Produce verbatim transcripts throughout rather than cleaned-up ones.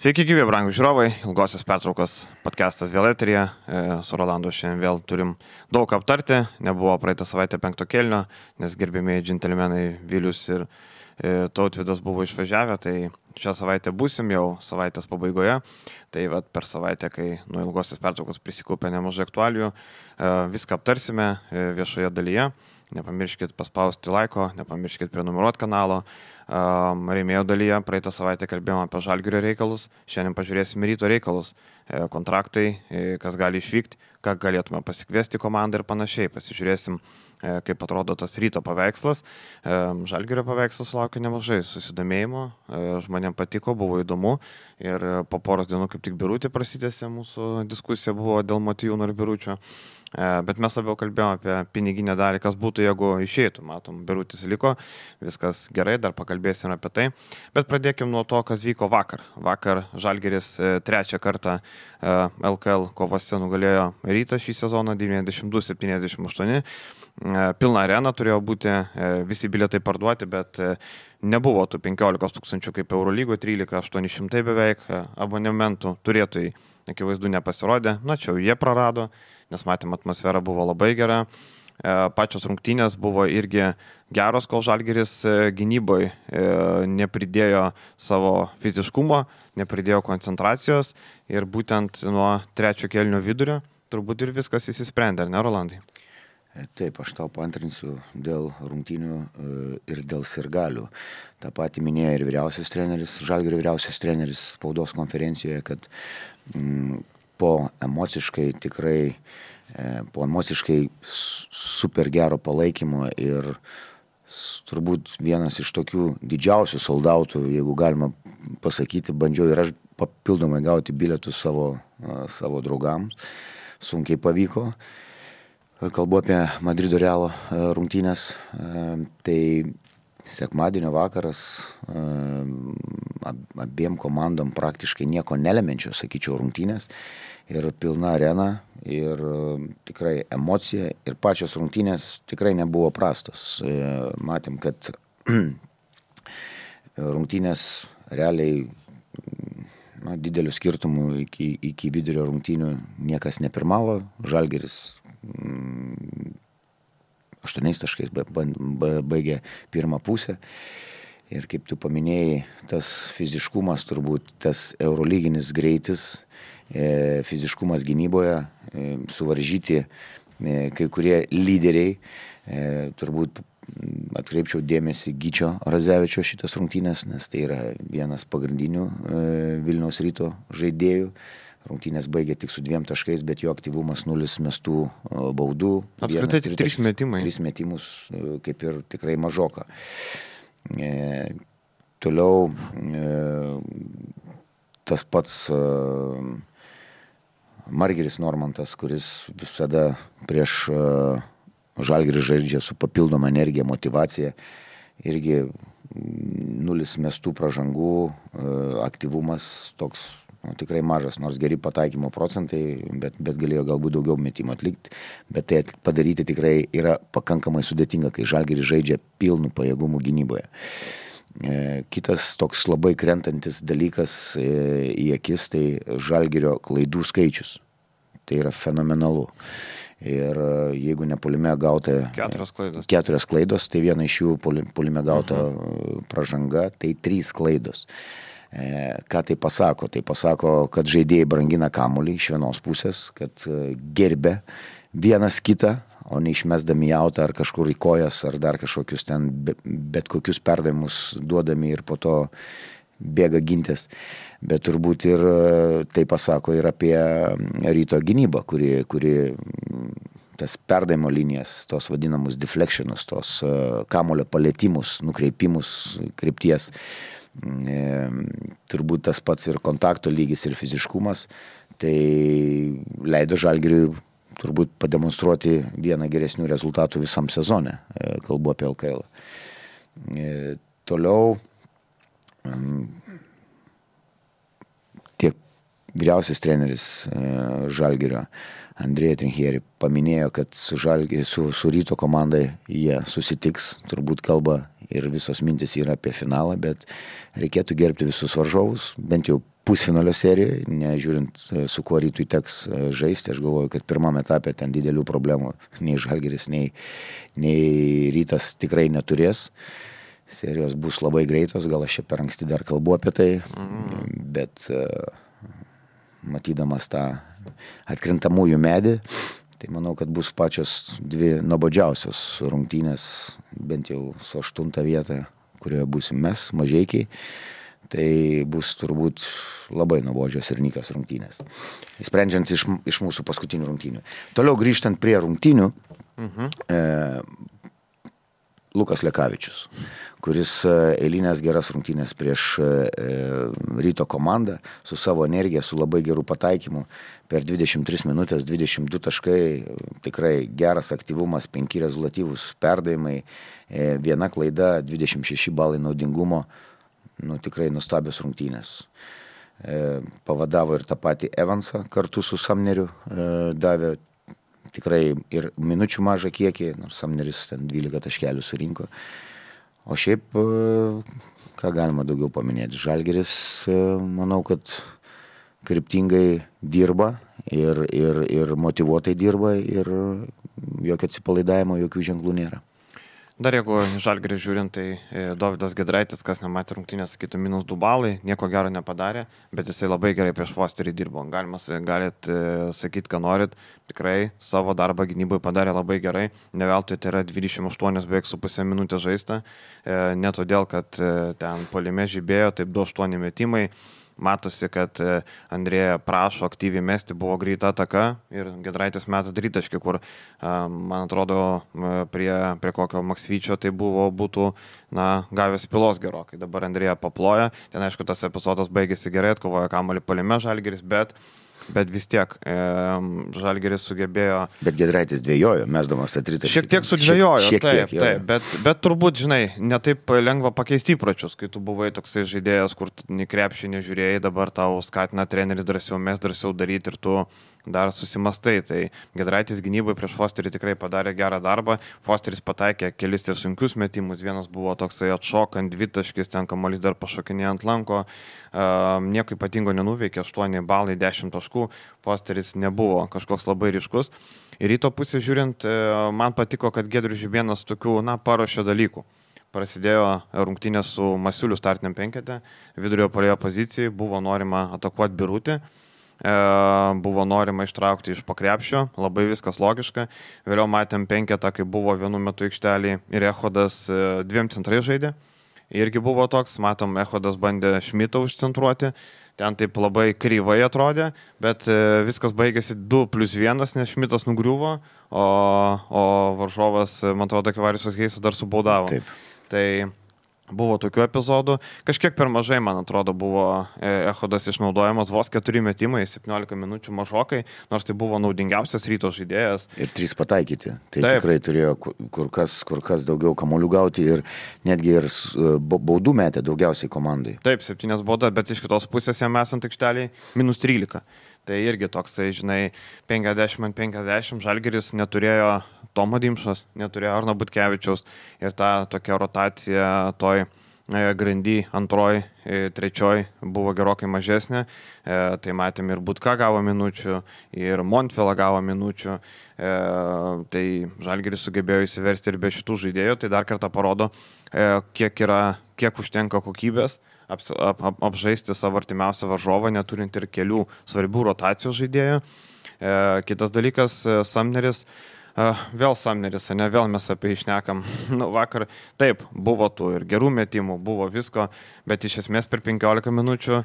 Sveiki, gyvi, brangūs žiūrovai, ilgosios pertraukos podcastas vėl eteryje, su Rolandu šiandien vėl turim daug aptarti, nebuvo praeitą savaitę penkto kėlinio, nes gerbėmiai džentelmenai Vilius ir Tautvydas buvo išvažiavę, tai šią savaitę būsim jau savaitės pabaigoje, tai vat, per savaitę, kai nuo ilgosios pertraukos prisikaupė nemažai aktualijų, viską aptarsime viešoje dalyje, nepamirškit paspausti laiko, nepamirškit prenumeruoti kanalo. Rėmėjo dalyje praeitą savaitę kalbėjome apie Žalgirio reikalus, šiandien pažiūrėsime Ryto reikalus, kontraktai, kas gali išvykti, ką galėtume pasikviesti komandą ir panašiai, pasižiūrėsim, kaip atrodo tas Ryto paveikslas. Žalgirio paveikslas sulaukė nemažai susidomėjimo, žmonėm patiko, buvo įdomu ir po poros dienų kaip tik Birutė prasidėsė, mūsų diskusija buvo dėl Matijūno ir Biručio. Bet mes labiau kalbėjome apie piniginę dalį, kas būtų, jeigu išeitų. Matom, Birutis liko, viskas gerai, dar pakalbėsime apie tai. Bet pradėkime nuo to, kas vyko vakar. Vakar Žalgiris trečią kartą L K L kovose nugalėjo Rytą šį sezoną devyniasdešimt du septyniasdešimt aštuoni. Pilna arena turėjo būti, visi bilietai parduoti, bet nebuvo tų penkiolikos tūkstančių kaip Eurolygoje, trylika aštuoni šimtai beveik abonementų turėtojai, akivaizdu, nepasirodė. Na, čia jie prarado, nes matėm, atmosfera buvo labai gera. Pačios rungtynės buvo irgi geros, kol Žalgiris gynyboje nepridėjo savo fiziškumo, nepridėjo koncentracijos ir būtent nuo trečio kėlinio vidurio turbūt ir viskas įsisprendė, ar ne, Rolandai? Taip, aš tau paantrinsiu dėl rungtynių ir dėl sirgalių. Ta pati minėjo ir vyriausias treneris, Žalgirio vyriausias treneris spaudos konferencijoje, kad mm, po emociškai tikrai, po emociškai super gero palaikymo ir turbūt vienas iš tokių didžiausių soldautų, jeigu galima pasakyti, bandžiau ir aš papildomai gauti bilietus savo, savo draugams, sunkiai pavyko. Kalbu apie Madrido Realo rungtynės, tai sekmadienio vakaras abiem komandom praktiškai nieko nelemenčios, sakyčiau, rungtynės ir pilna arena ir tikrai emocija ir pačios rungtynės tikrai nebuvo prastos. Matėm, kad rungtynės realiai na, didelių skirtumų iki, iki vidurio rungtynių niekas nepirmavo, Žalgiris aštuoniais taškais baigė pirmą pusę. Ir kaip tu paminėjai, tas fiziškumas, turbūt tas eurolyginis greitis, fiziškumas gynyboje, suvaržyti kai kurie lyderiai, turbūt atkreipčiau dėmesį Gyčio Radzevičio šitas rungtynės, nes tai yra vienas pagrindinių Vilniaus Ryto žaidėjų. Rungtynės baigė tik su dviem taškais, bet jo aktyvumas nulis mestų baudų. Apskritai tik trys metimai. Trys metimus kaip ir tikrai mažoka. E, toliau e, tas pats e, Margiris Normantas, kuris visada prieš e, Žalgirį žaidžia su papildoma energija, motyvacija, irgi nulis mestų pražangų, e, aktyvumas toks nu, tikrai mažas, nors geri pataikymo procentai, bet, bet galėjo galbūt daugiau metimų atlikti, bet tai padaryti tikrai yra pakankamai sudėtinga, kai Žalgiris žaidžia pilnų pajėgumų gynyboje. E, kitas toks labai krentantis dalykas e, į akis, tai Žalgirio klaidų skaičius. Tai yra fenomenalu. Ir jeigu ne puolime gauta keturios klaidos, keturios klaidos tai viena iš jų puolime gauta uh-huh. pražanga, tai trys klaidos. E, ką tai pasako? Tai pasako, kad žaidėjai brangina kamuolį iš vienos pusės, kad gerbia vienas kitą, o neišmesdami jautą ar kažkur į kojas, ar dar kažkokius ten be, bet kokius perdavimus duodami ir po to bėga gintis. Bet turbūt ir tai pasako ir apie Ryto gynybą, kuri, kuri tas perdavimo linijas, tos vadinamus deflectionus, tos kamuolio palėtimus, nukreipimus krypties. E, turbūt tas pats ir kontakto lygis ir fiziškumas, tai leido Žalgiriui turbūt pademonstruoti vieną geresnių rezultatų visam sezone, e, kalbu apie L K L. E, toliau, tiek vyriausias treneris Žalgirio Andrėja Trinchieri paminėjo, kad su, Žalgi, su, su Ryto komandai jie susitiks, turbūt kalba ir visos mintis yra apie finalą, bet reikėtų gerbti visus varžovus, bent jau pusfinalio serijoje, nežiūrint su kuo Rytui teks žaisti. Aš galvoju, kad pirmam etapė ten didelių problemų nei Žalgiris, nei, nei Rytas tikrai neturės. Serijos bus labai greitos, gal aš čia per anksti dar kalbu apie tai, mm. bet matydamas tą atkrintamųjų medį, tai manau, kad bus pačios dvi nuobodžiausios rungtynės, bent jau su aštunta vieta, kurioje būsim mes, Mažeikiai. Tai bus turbūt labai nuobodžios ir nykios rungtynės. Sprendžiant iš, iš mūsų paskutinių rungtynių. Toliau grįžtant prie rungtynių, mhm. e, Lukas Lekavičius, kuris eilinės geras rungtynės prieš e, Ryto komandą su savo energija, su labai gerų pataikymų. Per dvidešimt tris minutės, dvidešimt du taškai, tikrai geras aktyvumas, penki rezultatyvūs perdavimai, e, viena klaida, dvidešimt šeši balai naudingumo. Nu, tikrai nuostabios rungtynės. E, pavadavo ir tą patį Evansą kartu su Samneriu, e, davė tikrai ir minučių mažą kiekį, nors Samneris ten dvylika taškelių surinko. O šiaip, ką galima daugiau paminėti, Žalgiris, manau, kad kryptingai dirba ir, ir, ir motyvuotai dirba ir jokio atsipalaidavimo, jokių ženklų nėra. Dar jeigu Žalgirį žiūrint, tai Dovydas Giedraitis, kas nematė rungtynės, sakytų, minus du balai, nieko gero nepadarė, bet jisai labai gerai prieš Fosterį dirbo. Galima, galit sakyti, ką norit, tikrai savo darbą gynybai padarė labai gerai, ne veltui tai yra dvidešimt aštuonios beveik su pusė minutės žaista, ne todėl, kad ten puolime žibėjo, taip du aštuoni metimai. Matosi, kad Andrėja prašo aktyviai mesti, buvo greita ataka ir Giedraitis meta tritaškį, kur, man atrodo, prie, prie kokio Maksvyčio tai buvo, būtų na, gavęs pilos gerokai. Dabar Andrėja paploja, ten aišku tas epizodas baigėsi gerai, atkovojo kamuolį puolime Žalgiris, bet Bet vis tiek e, Žalgiris sugebėjo... Bet Giedraitis dvejojo, mesdamas tą tritaškį. Šiek tiek sudvejojo, šiek, šiek taip, tiek, taip, bet, bet turbūt, žinai, netaip lengva pakeisti įpročius, kai tu buvai toksai žaidėjas, kur nei krepšį nežiūrėjai, dabar tau skatina treneris drąsiau mes, drąsiau daryti ir tu dar susimastai. Tai Giedraitis gynybai prieš Fosterį tikrai padarė gerą darbą. Fosteris pataikė kelis ir sunkius metimus. Vienas buvo toksai atšokant, dvitaškis, ten kamuolys dar pašokinė ant lanko. Uh, nieko ypatingo nenuveikė, aštuoni balai, dešimt taškų. Fosteris nebuvo kažkoks labai ryškus. Ir Ryto pusė žiūrint, uh, man patiko, kad Giedrius Žibėnas tokių, na, paruošė dalykų. Prasidėjo rungtynės su Masiuliu startiniam penkete, vidurio puolėjo pozicijai, buvo norima atakuoti Birutį. Buvo norima ištraukti iš pakrepšio, labai viskas logiška. Vėliau matėm penketą, kai buvo vienu metu aikštelį ir Echodas dviem centrai žaidė. Irgi buvo toks, matom, Echodas bandė Šmitą užcentruoti, ten taip labai kryvai atrodė, bet viskas baigėsi du plius vienas, nes Šmitas nugriuvo, o, o varžovas, man atrodo, Kivariusas Heisas dar subaudavo. Taip. Tai buvo tokių epizodų. Kažkiek per mažai, man atrodo, buvo Echodas išnaudojamas, vos keturi metimai, septyniolika minučių mažokai, nors tai buvo naudingiausias Ryto žaidėjas. Ir trys pataikyti. Tai Taip. Tikrai turėjo kur kas, kur kas daugiau kamuolių gauti ir netgi ir baudų metė daugiausiai komandai. Taip, septynės baudas, bet iš kitos pusės jam esant aikšteliai minus trylika. Tai irgi toksai, žinai, penkiasdešimt ant penkiasdešimt, Žalgiris neturėjo Tomo Dimšos, neturėjo Arno Butkevičiaus ir ta tokia rotacija toj grandy antroj, trečioj buvo gerokai mažesnė, e, tai matėm ir Butka gavo minučių, ir Montvela gavo minučių, e, tai Žalgiris sugebėjo įsiversti ir be šitų žaidėjų, tai dar kartą parodo, e, kiek, yra, kiek užtenka kokybės ap, ap, ap, apžaisti savo artimiausią varžovą, neturint ir kelių svarbių rotacijų žaidėjų. E, kitas dalykas, Samneris, Uh, vėl Samneris, ne, vėl mes apie išnekam. Nu, vakar, taip, buvo tų ir gerų metimų, buvo visko, bet iš esmės per penkiolika minučių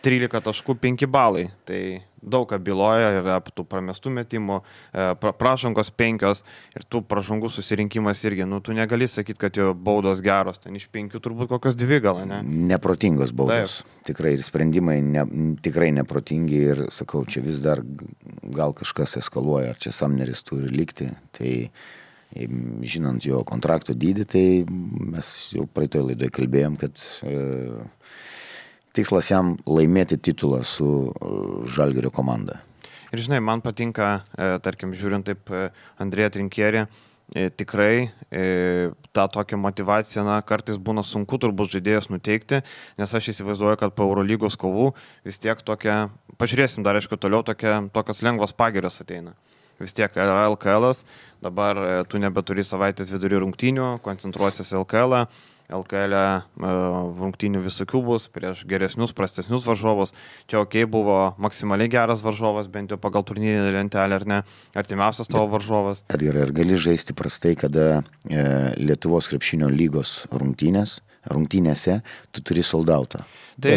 trylika taškų penki balai. Tai daug ką byloja ir apie tų pramestų metimų, pra, pražangos penkios ir tų pražangų susirinkimas irgi. Nu, tu negali sakyti, kad jo baudos geros, ten iš penkių turbūt kokios dvi gal, ne? Neprotingos baudos. Taip. Tikrai ir sprendimai ne, tikrai neprotingi ir sakau, čia vis dar gal kažkas eskaluoja, ar čia Samneris turi likti. Tai žinant jo kontrakto dydį, tai mes jau praeitoj laidoj kalbėjom, kad e, tikslas jam laimėti titulą su Žalgirio komanda. Ir žinai, man patinka, e, tarkim, žiūrint taip e, Andrėją Trinkierį, e, tikrai e, tą tokią motivaciją, na, kartais būna sunku turbūt žaidėjas nuteikti, nes aš įsivaizduoju, kad po Eurolygos kovų vis tiek tokia, pažiūrėsim dar, aišku, toliau tokia, tokios lengvos pagirios ateina. Vis tiek yra L K L, dabar e, tu nebeturi savaitės vidury rungtynių, koncentruosis L K L. L K L rungtynių visokių bus, prieš geresnius, prastesnius varžovus. Čia ok, buvo maksimaliai geras varžovas, bent jau pagal turnyrinę lentelę, ar ne, artimiausias tavo varžovas. Edgarai, ar gali žaisti prastai, kada e, Lietuvos krepšinio lygos rungtynės, rungtynėse tu turi soldautą? Tai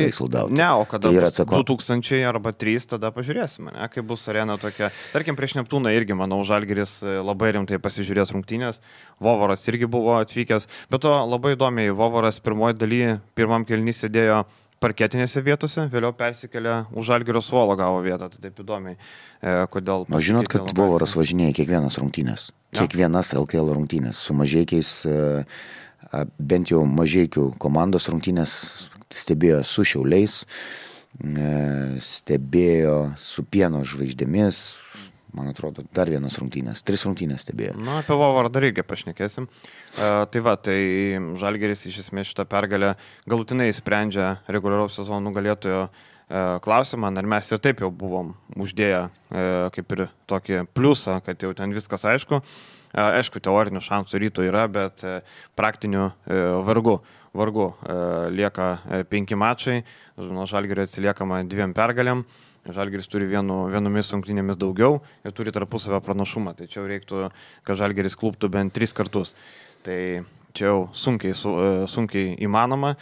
ne, o kada tai bus du tūkstančiai arba trys, tada pažiūrėsime, ne, kai bus arena tokia. Tarkim, prieš Neptūną irgi, manau, Žalgiris labai rimtai pasižiūrės rungtynės. Vovoras irgi buvo atvykęs, bet to labai įdomiai, Vovoras pirmoji daly, pirmam kėliny sėdėjo parketinėse vietose, vėliau persikėlė už Žalgirio suolo gavo vietą, tai taip įdomiai. E, kodėl... O žinot, kad lokacija. Vovoras važinėja kiekvienas rungtynės, ja. kiekvienas L K L rungtynės, su mažeikiais, e, bent jau mažeikių komandos rungtynės stebėjo su Šiauliais, stebėjo su Pieno žvaigždėmis, man atrodo, dar vienas rungtynės, tris rungtynės stebėjo. Na, apie Vovorą dar irgi pašnekėsim. E, tai va, tai Žalgiris iš esmės šitą pergalę galutinai sprendžia reguliaraus sezono nugalėtojo e, klausimą, ar mes ir taip jau buvom uždėję e, kaip ir tokį pliusą, kad jau ten viskas aišku. E, aišku, teorinių šansų ryto yra, bet e, praktinių e, vargu. Vargu, e, lieka e, penki mačai, nuo Žalgirio atsiliekama dviem pergalėm, Žalgiris turi vienu, vienomis rungtynėmis daugiau ir turi tarpusavio pranašumą, tai čia jau reiktų, kad Žalgiris kluptų bent tris kartus, tai čia jau sunkiai, su, e, sunkiai įmanoma.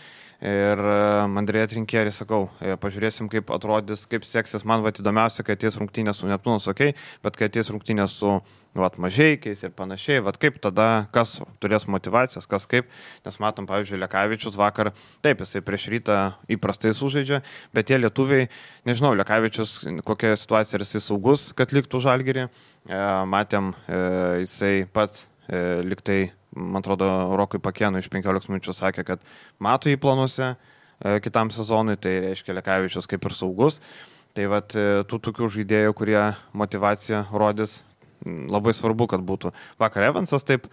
Ir Andrėja Trinkierį sakau, pažiūrėsim, kaip atrodys, kaip seksis. Man vat įdomiausia, kad ateis rungtynės su Neptūnas, okei, okay, bet kad ateis rungtynės su vat, mažeikiais ir panašiai, vat kaip tada, kas turės motivacijos, kas kaip, nes matom, pavyzdžiui, Lekavičius vakar, taip, jisai prieš rytą įprastai sužaidžia, bet tie lietuviai, nežinau, Lekavičius, kokia situacija, ar jisai saugus, kad liktų Žalgirį, matėm, jisai pats liktai, man atrodo, Rokui Pakėnui iš penkiolikos minučių sakė, kad mato jį planuose e, kitam sezonui, tai reiškia Lekavičius kaip ir saugus. Tai vat e, tų tokių žaidėjų, kurie motivaciją rodys, labai svarbu, kad būtų. Vakar Evansas taip,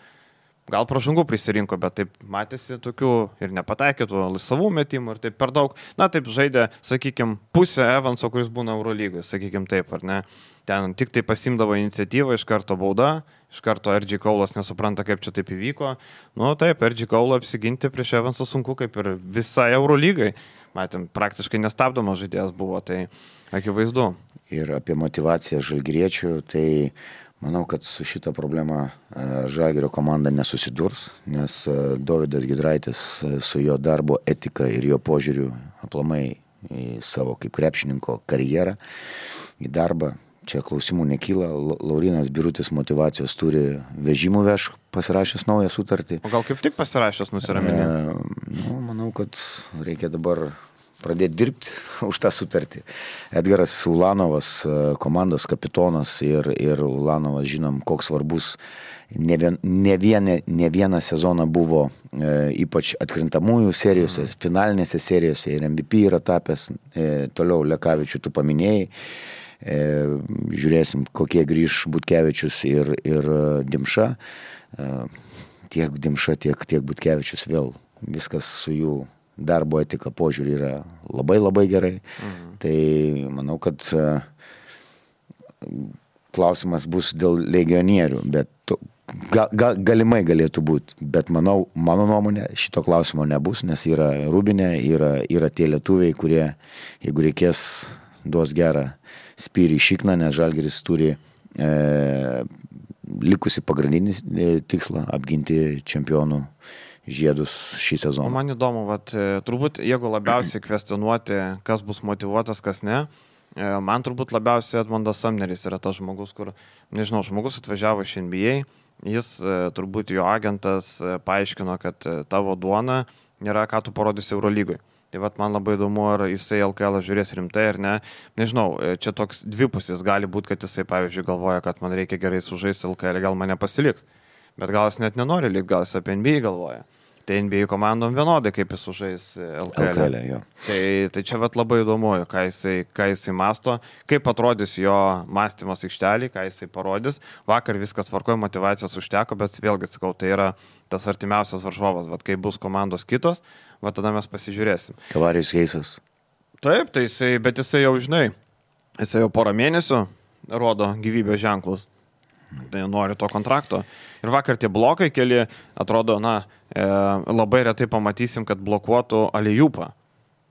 gal pražangų prisirinko, bet taip matėsi tokių ir nepataikytų laisvų metimų ir taip per daug. Na taip žaidė, sakykime, pusę Evanso, kuris būna Eurolygoje, sakykime taip, ar ne. Ten tik tai pasimdavo iniciatyvą, iš karto bauda, iš karto R J Kaulas nesupranta, kaip čia taip įvyko. Nu taip, R J Kaulo apsiginti prieš Evansą sunku, kaip ir visai Eurolygai. Matėm, praktiškai nestabdomas žaidėjas buvo, tai akivaizdu. Ir apie motivaciją žalgiriečių, tai manau, kad su šita problema Žalgirio komanda nesusidurs, nes Dovydas Giedraitis su jo darbo etika ir jo požiūriu aplamai į savo kaip krepšininko karjerą, į darbą. Čia klausimų nekyla, Laurinas Birutis motivacijos turi, vežimų veš pasirašęs naują sutartį. O gal kaip tik pasirašęs nusiraminė? E, nu, manau, kad reikia dabar pradėti dirbti už tą sutartį. Edgaras Ulanovas, komandos kapitonas ir, ir Ulanovas, žinom, koks svarbus ne, vien, ne, vieną, ne vieną sezoną buvo, e, ypač atkrintamųjų serijose, mm. finalinėse serijose ir M V P yra tapęs, e, toliau Lekavičių tu paminėjai. E, žiūrėsim, kokie grįž Butkevičius ir, ir Dimša. E, tiek Dimša, tiek, tiek Butkevičius vėl viskas su jų darbo etika požiūrį yra labai labai gerai. Mhm. Tai manau, kad e, klausimas bus dėl legionierių, bet to, ga, ga, galimai galėtų būti, bet manau, mano nuomonė, šito klausimo nebus, nes yra Rubinė, yra, yra tie lietuviai, kurie, jeigu reikės, duos gerą spyrį šikną, nes Žalgiris turi e, likusi pagrindinį e, tikslą apginti čempionų žiedus šį sezoną. O man įdomu, vat, turbūt jeigu labiausiai kvestionuoti, kas bus motivuotas, kas ne, e, man turbūt labiausiai Edmondas Samneris yra tas žmogus, kur, nežinau, žmogus atvažiavo iš N B A, jis e, turbūt jo agentas e, paaiškino, kad e, tavo duona nėra, ką tu parodysi Eurolygoje. Tai vat man labai įdomu, ar jisai L K L žiūrės rimtai ar ne. Nežinau, čia toks dvipusis gali būti, kad jisai, pavyzdžiui, galvoja, kad man reikia gerai sužaisti L K L, gal mane pasiliks. Bet gal jis net nenori likti, gal jis apie N B A galvoja. tai N B A komandom vienodai, kaip jis sužais L K L. L K L, jo. Tai, tai čia vat labai įdomu, ką jisai, ką jisai masto, kaip atrodys jo mąstymas aikštelį, ką jisai parodys. Vakar viskas tvarkojo, motivacijos užteko, bet vėlgi sakau, tai yra tas artimiausias varžovas, vat kai bus komandos kitos, va tada mes pasižiūrėsim. Kavarijus Heisas. Taip, tai jisai, bet jisai jau, žinai, jisai jau porą mėnesių rodo gyvybės ženklus. Tai nori to kontrakto. Ir vakar tie blokai keli, atrodo, na, e, labai retai pamatysim, kad blokuotų alijupą.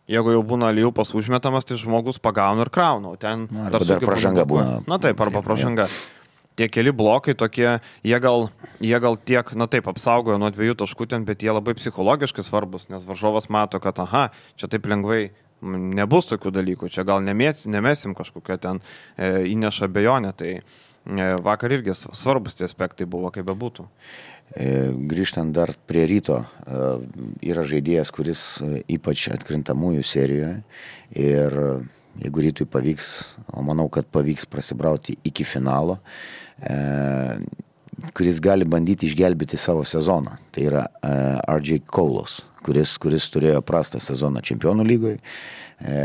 Jeigu jau būna alijupas užmetamas, tai žmogus pagauna ir krauna. Ten Na, dar, dar pražanga būna. Na taip, arba pražanga. Tie keli blokai tokie, jie gal, jie gal tiek, na taip, apsaugojo nuo dviejų taškų ten, bet jie labai psichologiškai svarbus, nes varžovas mato, kad aha, čia taip lengvai nebus tokių dalykų, čia gal nemės, nemesim kažkokią ten e, įneša abejonę, tai e, vakar irgi svarbus tie aspektai buvo, kaip bebūtų. E, grįžtant dar prie Ryto, e, yra žaidėjas, kuris e, ypač atkrintamųjų serijoje ir jeigu Rytui pavyks, o manau, kad pavyks prasibrauti iki finalo, e, kuris gali bandyti išgelbėti savo sezoną. Tai yra e, R J Kaulas, kuris, kuris turėjo prastą sezoną Čempionų lygoje. E,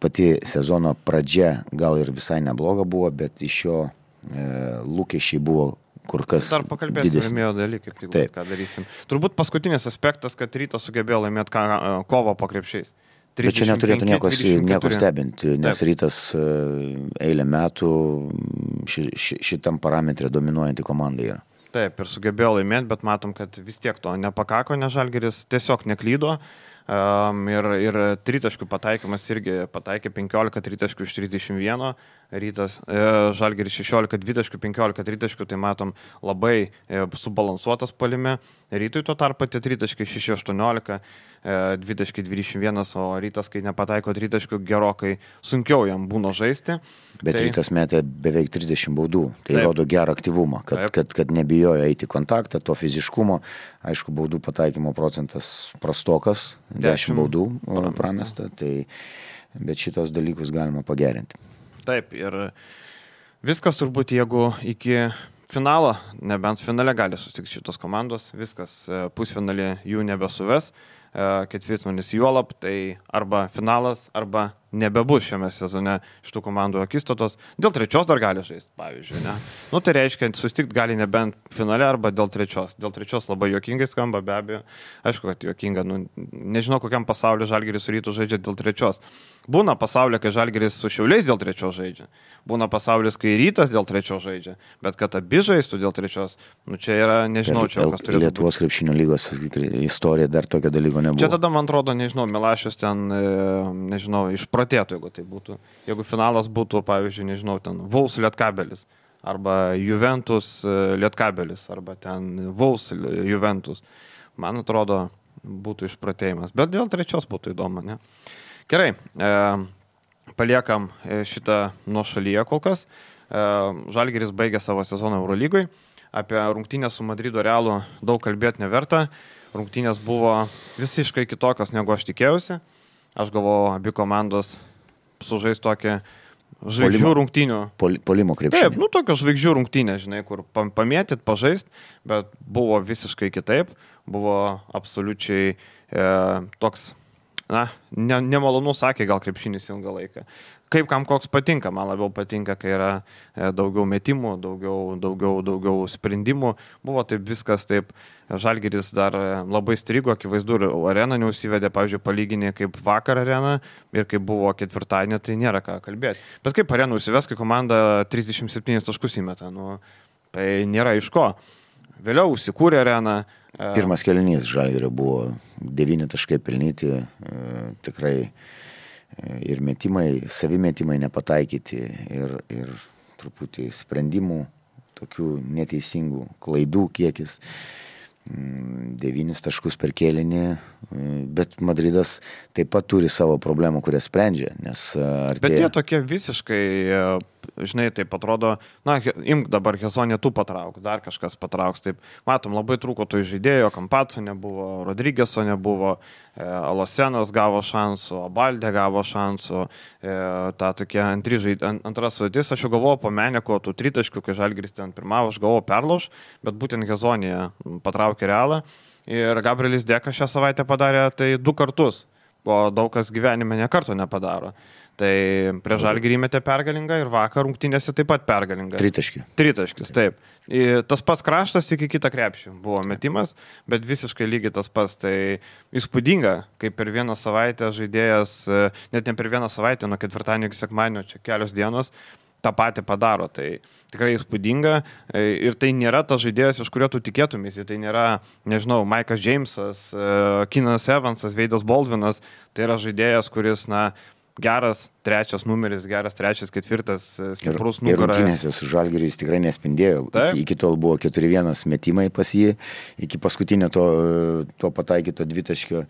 pati sezono pradžia gal ir visai nebloga buvo, bet iš jo e, lūkesčiai buvo kur kas dar pakalbėsim laimėjo dalykai, kaip tai, ką darysim. Turbūt paskutinis aspektas, kad Rytas sugebėjo laimėti ką, kovą po krepšiais. Bet čia neturėtų nieko, nieko stebinti, nes Taip. Rytas eilę metų ši, ši, šitam parametrė dominuojanti komanda yra. Taip, ir sugebėjo laimėti, bet matom, kad vis tiek to nepakako, nes Žalgiris tiesiog neklydo. Um, ir, ir tritaškių pataikymas irgi pataikė penkiolika tritaškių iš trisdešimt vieno, Rytas, e, Žalgiris šešiolika dvitaškių, penkiolika tritaškių, tai matom labai e, subalansuotas puolime. Rytui tuo tarpu tie tritaškiai šeši aštuoniolika, e, dvitaškiai dvidešimt vienas, o Rytas, kai nepataiko tritaškių, gerokai sunkiau jam būna žaisti. Bet tai... Rytas metė beveik trisdešimt baudų, tai Taip. Rodo gerą aktyvumą, kad, kad, kad nebijojo eiti kontaktą, to fiziškumo. Aišku, baudų pataikymo procentas prastokas, dešimt baudų pramesta, tai, bet šitos dalykus galima pagerinti. Taip, ir viskas turbūt, jeigu iki finalo, nebent finale gali susitikti šitos komandos, viskas pusfinalį jų nebesuves, ketvirtfinalis juolab, tai arba finalas, arba nebebus šiame sezone šitų komandų akistatos. Dėl trečios dar gali žaisti, pavyzdžiui, ne? Nu, tai reiškia, susitikti gali nebent finale arba dėl trečios. Dėl trečios labai juokingai skamba, be abejo. Aišku, kad juokinga, nu, nežinau, kokiam pasaulio Žalgiris su Rytu žaidžia dėl trečios. Būna pasaulyje, kai Žalgiris su Šiauliais dėl trečios žaidžia. Būna pasaulis, kai Rytas dėl trečios žaidžia. Bet kad abi žaistų dėl trečios, nu čia yra, nežinau, čia kas turėtų būti. Lietuvos krepšinio lygos istorija dar tokio dalyko nebuvo. Čia tada, man atrodo, nežinau, Milašius ten, nežinau, išprotėtų, jeigu tai būtų. Jeigu finalas būtų, pavyzdžiui, nežinau, ten Vuls Lietkabelis, arba Juventus Lietkabelis, arba ten Vuls Juventus. Man atrodo, būtų išprotėjimas. Bet dėl trečios būtų įdomu, ne? Gerai, e, paliekam šitą nuošalyje kol kas. E, Žalgiris baigė savo sezoną Eurolygoje. Apie rungtynės su Madrido Realu daug kalbėti neverta. Rungtynės buvo visiškai kitokios, negu aš tikėjausi. Aš galvoju, abi komandos sužais tokį žvaigždžių rungtynių. Pol, polimo krepšinį. Taip, nu tokios žvaigždžių rungtynės, žinai, kur pamėtyt, pažaist, bet buvo visiškai kitaip. Buvo absoliučiai e, toks... Na, ne, nemalonu sakė gal krepšinis ilgą laiką. Kaip kam koks patinka, man labiau patinka, kai yra daugiau metimų, daugiau, daugiau, daugiau sprendimų. Buvo taip viskas taip, Žalgiris dar labai strigo, akivaizdu, arena neužsivedė, pavyzdžiui, palyginė kaip vakar arena ir kaip buvo ketvirtadienį, tai nėra ką kalbėti. Bet kaip arena užsives, kai komanda trisdešimt septynis taškus įmeta, nu, tai nėra iš ko. Vėliau užsikūrė arena. Pirmas kėlinys Žalgirio buvo devyni taškai pelnyti, tikrai ir metimai, savimetimai nepataikyti ir, ir truputį sprendimų, tokių neteisingų klaidų kiekis. Devynis taškus per kėlinį, bet Madridas taip pat turi savo problemų, kurias sprendžia, nes artėja... Bet jie tokie visiškai, žinai, taip atrodo, na, imk dabar Hezonė tu patrauk, dar kažkas patrauks, taip, matom, labai trūko to žaidėjo, Kampaco nebuvo, Rodrigeso nebuvo, Alosenas gavo šansų, Abaldė gavo šansų, ta tokia žaid... antras sudėtis, aš jau galvojau po Meneko, tų tritaškių, kai Žalgiris ten pirmavo, aš galvojau perlauž, bet būtent Hezonė patraukė Realą Ir Gabrielis Dekas šią savaitę padarė tai du kartus, o daug kas gyvenime ne karto nepadaro. Tai prie Žalgirį metė pergalingą ir vakar rungtynėse taip pat pergalingą. Tritaškį. Tritaškis, taip. Ir tas pats kraštas iki kitą krepšį buvo metimas, bet visiškai lygiai tas pats. Tai įspūdinga, kaip per vieną savaitę žaidėjas, net ne per vieną savaitę, nuo ketvirtadienio iki sekmadienio, čia kelios dienos, tą patį padaro. Tai tikrai įspūdinga ir tai nėra tas žaidėjas, iš kurio tu tikėtumės. Tai nėra, nežinau, Maikas Džeimsas, Keenanas Evansas, Veidas Baldvinas. Tai yra žaidėjas, kuris, na, geras trečias numeris, geras trečias, ketvirtas, stiprus nugaras. Ir rungtynėse su Žalgiriu jis tikrai nespindėjo. Iki, iki tol buvo keturi vienas metimai pas jį, iki paskutinio to, to pataikyto dvitaškio.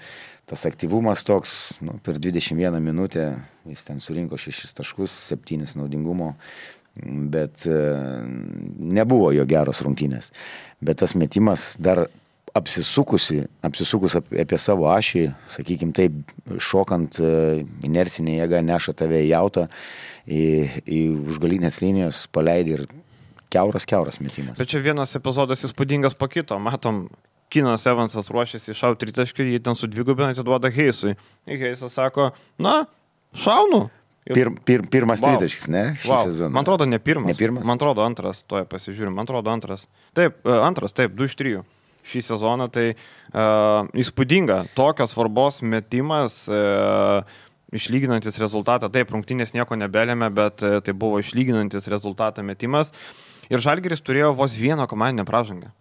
Tas aktyvumas toks, nu, per dvidešimt vieną minutę jis ten surinko šešis taškus, septynis naudingumo, bet e, nebuvo jo geros rungtynės. Bet tas metimas dar apsisukusi, apsisukus apie savo ašį, sakykime taip, šokant inercinė jėga neša tave į jautą, į, į užgalinės linijos paleidį ir keuras, keuras metimas. Bet čia vienas epizodas įspūdingas po kito. Matom, Keenanas Evansas ruošiasi iššauti tritaškį, jį ten sudvigubina, atiduoda Heisui. Ir Heisas sako, na, šaunu. Ir... Pir, pir, pirmas wow. tritaškis, ne? Šį wow. sezoną. Man atrodo, ne pirmas. Ne pirmas? Man atrodo, antras. Toje pasižiūrim. Man atrodo, antras. Taip, antras, taip, du iš trijų. Šį sezoną, tai uh, įspūdinga, tokios svarbos metimas, uh, išlyginantis rezultatą, taip, rungtynės nieko nebelėmė, bet uh, tai buvo išlyginantis rezultatą metimas ir Žalgiris turėjo vos vieną komandinę pražangą.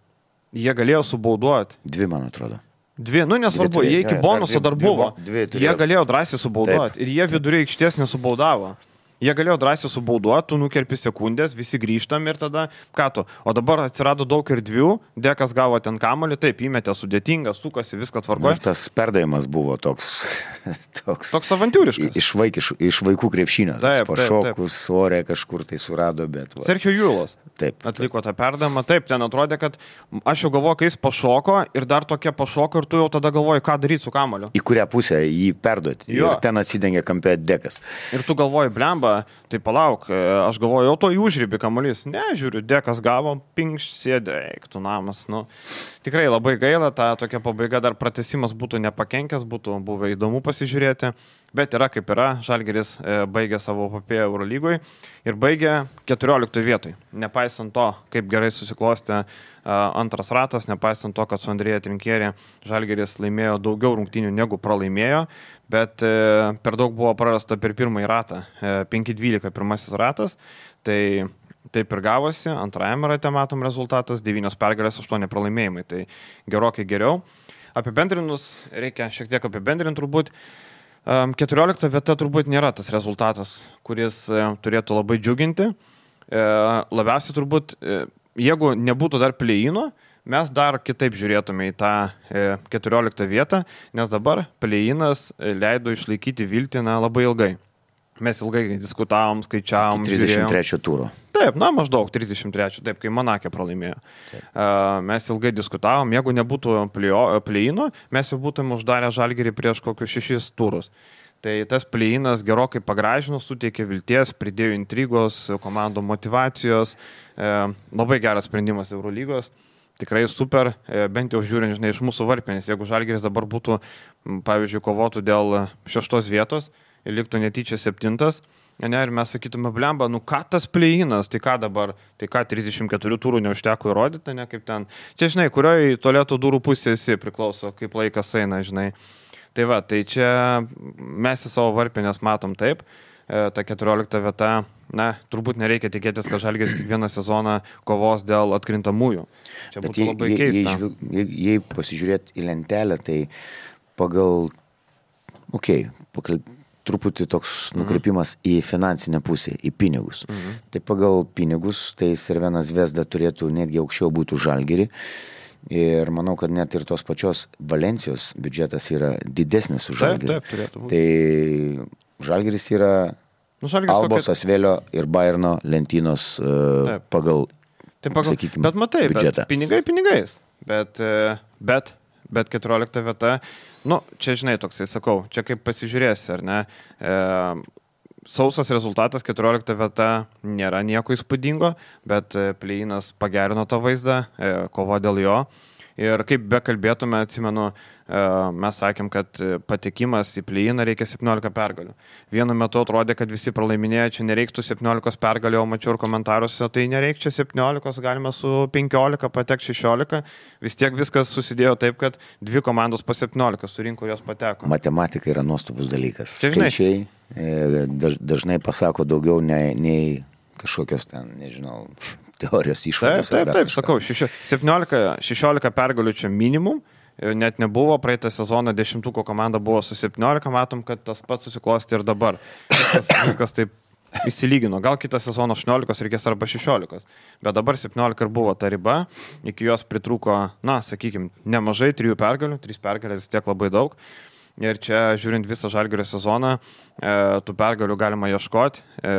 Jie galėjo subauduoti. Dvi, man atrodo. Dvi, nu nesvarbu, dvi, jie iki bonuso dar buvo. Dvi, dvi jie galėjo drąsiai subauduoti ir jie viduryje aikštės nesubaudavo. Jie galėjo drąsiai subauduoti, tu nukerpi sekundės, visi grįžtam ir tada, ką tu, o dabar atsirado daug erdvių, Dekas gavo ten kamuolį, taip, įmetė sudėtingą, sukasi, viską tvarkoja. Tas perdavimas buvo toks... Toks, toks avantūriškas. Iš, vaik, iš, iš vaikų krepšinio. Taip, pašokus, orė kažkur tai surado, bet... Va. Sergio Julas taip, atliko tą perdavimą, taip, ten atrodė, kad aš jau galvoju, kai jis pašoko ir dar tokia pašoko ir tu jau tada galvoji, ką daryti su kamuoliu. Į kurią pusę jį perduoti. Jo. Ir ten atsidengia kampė Dekas. Ir tu galvoji, blemba, tai palauk, aš galvoju, jau to į užribį kamuolys. Ne, žiūriu, Dekas gavo, pinkš, sėdė, eik, tu namas. Nu, tikrai labai gaila, ta tokia pabaiga dar pratęsimas būtų nepakenkęs, būtų buvę įdomu pasižiūrėti. Bet yra kaip yra, Žalgiris baigė savo epopėją Eurolygoj ir baigė keturioliktoje vietoje. Nepaisant to, kaip gerai susiklostė antras ratas, nepaisant to, kad su Andrėja Trinkierė Žalgiris laimėjo daugiau rungtynių negu pralaimėjo, bet per daug buvo prarasta per pirmąjį ratą. penki dvylika pirmasis ratas, tai taip ir gavosi, antrajame rate matom rezultatas, devynios pergalės, aštuoni pralaimėjimai, tai gerokai geriau. Apibendrinus, reikia šiek tiek apibendrinti turbūt. keturiolikta vieta turbūt nėra tas rezultatas, kuris turėtų labai džiuginti. Labiausiai turbūt, jeigu nebūtų dar play-ino, mes dar kitaip žiūrėtume į tą keturioliktą vietą, nes dabar play-inas leido išlaikyti viltį na, labai ilgai. Mes ilgai diskutavom, skaičiavom. trisdešimt trečio tūro. Taip, na maždaug trisdešimt trečio, taip, kai Monake pralaimėjo. Taip. Mes ilgai diskutavom, jeigu nebūtų play-ino, mes jau būtume uždarę Žalgirį prieš kokius šešis turus. Tai tas play-inas gerokai pagražino, suteikė vilties, pridėjo intrigos, komandų motivacijos, labai geras sprendimas Eurolygos. Tikrai super, bent jau žiūrint, žinai, iš mūsų varpinės, jeigu Žalgiris dabar būtų, pavyzdžiui, kovotų dėl šeštos vietos, ir liktų netyčia septintas, ne, ir mes sakytume, blemba, nu ką tas play-inas, tai ką dabar, tai ką trisdešimt keturių turų neužteko įrodyti, ne, kaip ten, čia, žinai, kurioje tualeto durų pusė esi priklauso, kaip laikas eina, žinai. Tai va, tai čia mes į savo varpinės matom taip, ta keturiolikta vieta, na, turbūt nereikia tikėtis, kad Žalgiris kiekvieną sezoną kovos dėl atkrintamųjų. Čia būtų jei, labai jei, keista. Jei, jei, jei pasižiūrėt į lentelę, tai pagal, okei, okay, pagal truputį toks nukreipimas mhm. į finansinę pusę, į pinigus. Mhm. Tai pagal pinigus, tai Cervena Zvezda turėtų netgi aukščiau būti Žalgirį. Ir manau, kad net ir tos pačios Valencijos biudžetas yra didesnis už Žalgirį. Taip, taip, turėtų būti. Tai Žalgiris yra nu, Žalgiris Albos, kokia... Asvelio ir Bayerno lentynos uh, pagal, taip, pagal... sakykime, bet matai, biudžetą. Bet pinigai pinigais. Bet, bet, bet keturiolikta vieta, nu, čia žinai, toksai sakau, čia kaip pasižiūrėsi, ar ne, e, sausas rezultatas, keturiolikta vieta nėra nieko įspūdingo, bet play-inas pagerino tą vaizdą, e, kova dėl jo Ir kaip be kalbėtume, atsimenu, mes sakėm, kad patekimas į play-iną reikia septyniolika pergalių. Vienu metu atrodė, kad visi pralaiminėjo, čia nereiktų septyniolikos pergalių, o mačiau ir komentaruose, tai nereikia septyniolikos, galima su penkiolika patekti šešiolika. Vis tiek viskas susidėjo taip, kad dvi komandos po septyniolika surinko, jos pateko. Matematika yra nuostabus dalykas. Čia, žinai, skaičiai daž, dažnai pasako daugiau nei, nei kažkokios ten, nežinau, teorijos išvados. Taip, taip, taip, sakau, septyniolika šešiolika pergalių čia minimum, net nebuvo, praeitą sezoną dešimtuko komanda buvo su septyniolika, matom, kad tas pats susiklosti ir dabar. Viskas, viskas taip įsilygino, gal kitą sezoną aštuoniolikos reikės arba šešiolikos, bet dabar septyniolika ir buvo ta riba, iki jos pritrūko, na, sakykime, nemažai, trijų pergalių, trys pergalės tiek labai daug. Ir čia, žiūrint visą Žalgirio sezoną, e, tų pergalių galima ieškoti, e,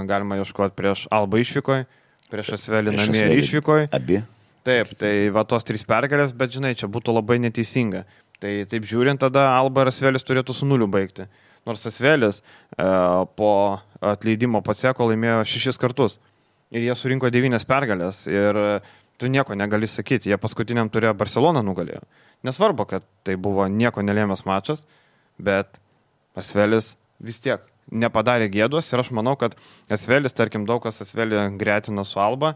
galima ieškoti prieš Albą išvykoj, prieš Asvelį namie išvykoj. Abi. Taip, tai va tos trys pergalės, bet žinai, čia būtų labai neteisinga. Tai taip žiūrint, tada Alba ir Asvelis turėtų su nuliu baigti. Nors Asvelis e, po atleidimo Paceko laimėjo šešis kartus. Ir jie surinko devynias pergalės. Ir tu nieko negali sakyti. Jie paskutiniam turėjo Barceloną nugalėjo. Nesvarbu, kad tai buvo nieko nelėmęs mačas, bet Asvelis vis tiek nepadarė gėdos. Ir aš manau, kad Asvelis, tarkim, daug kas Asvelį gretina su Alba,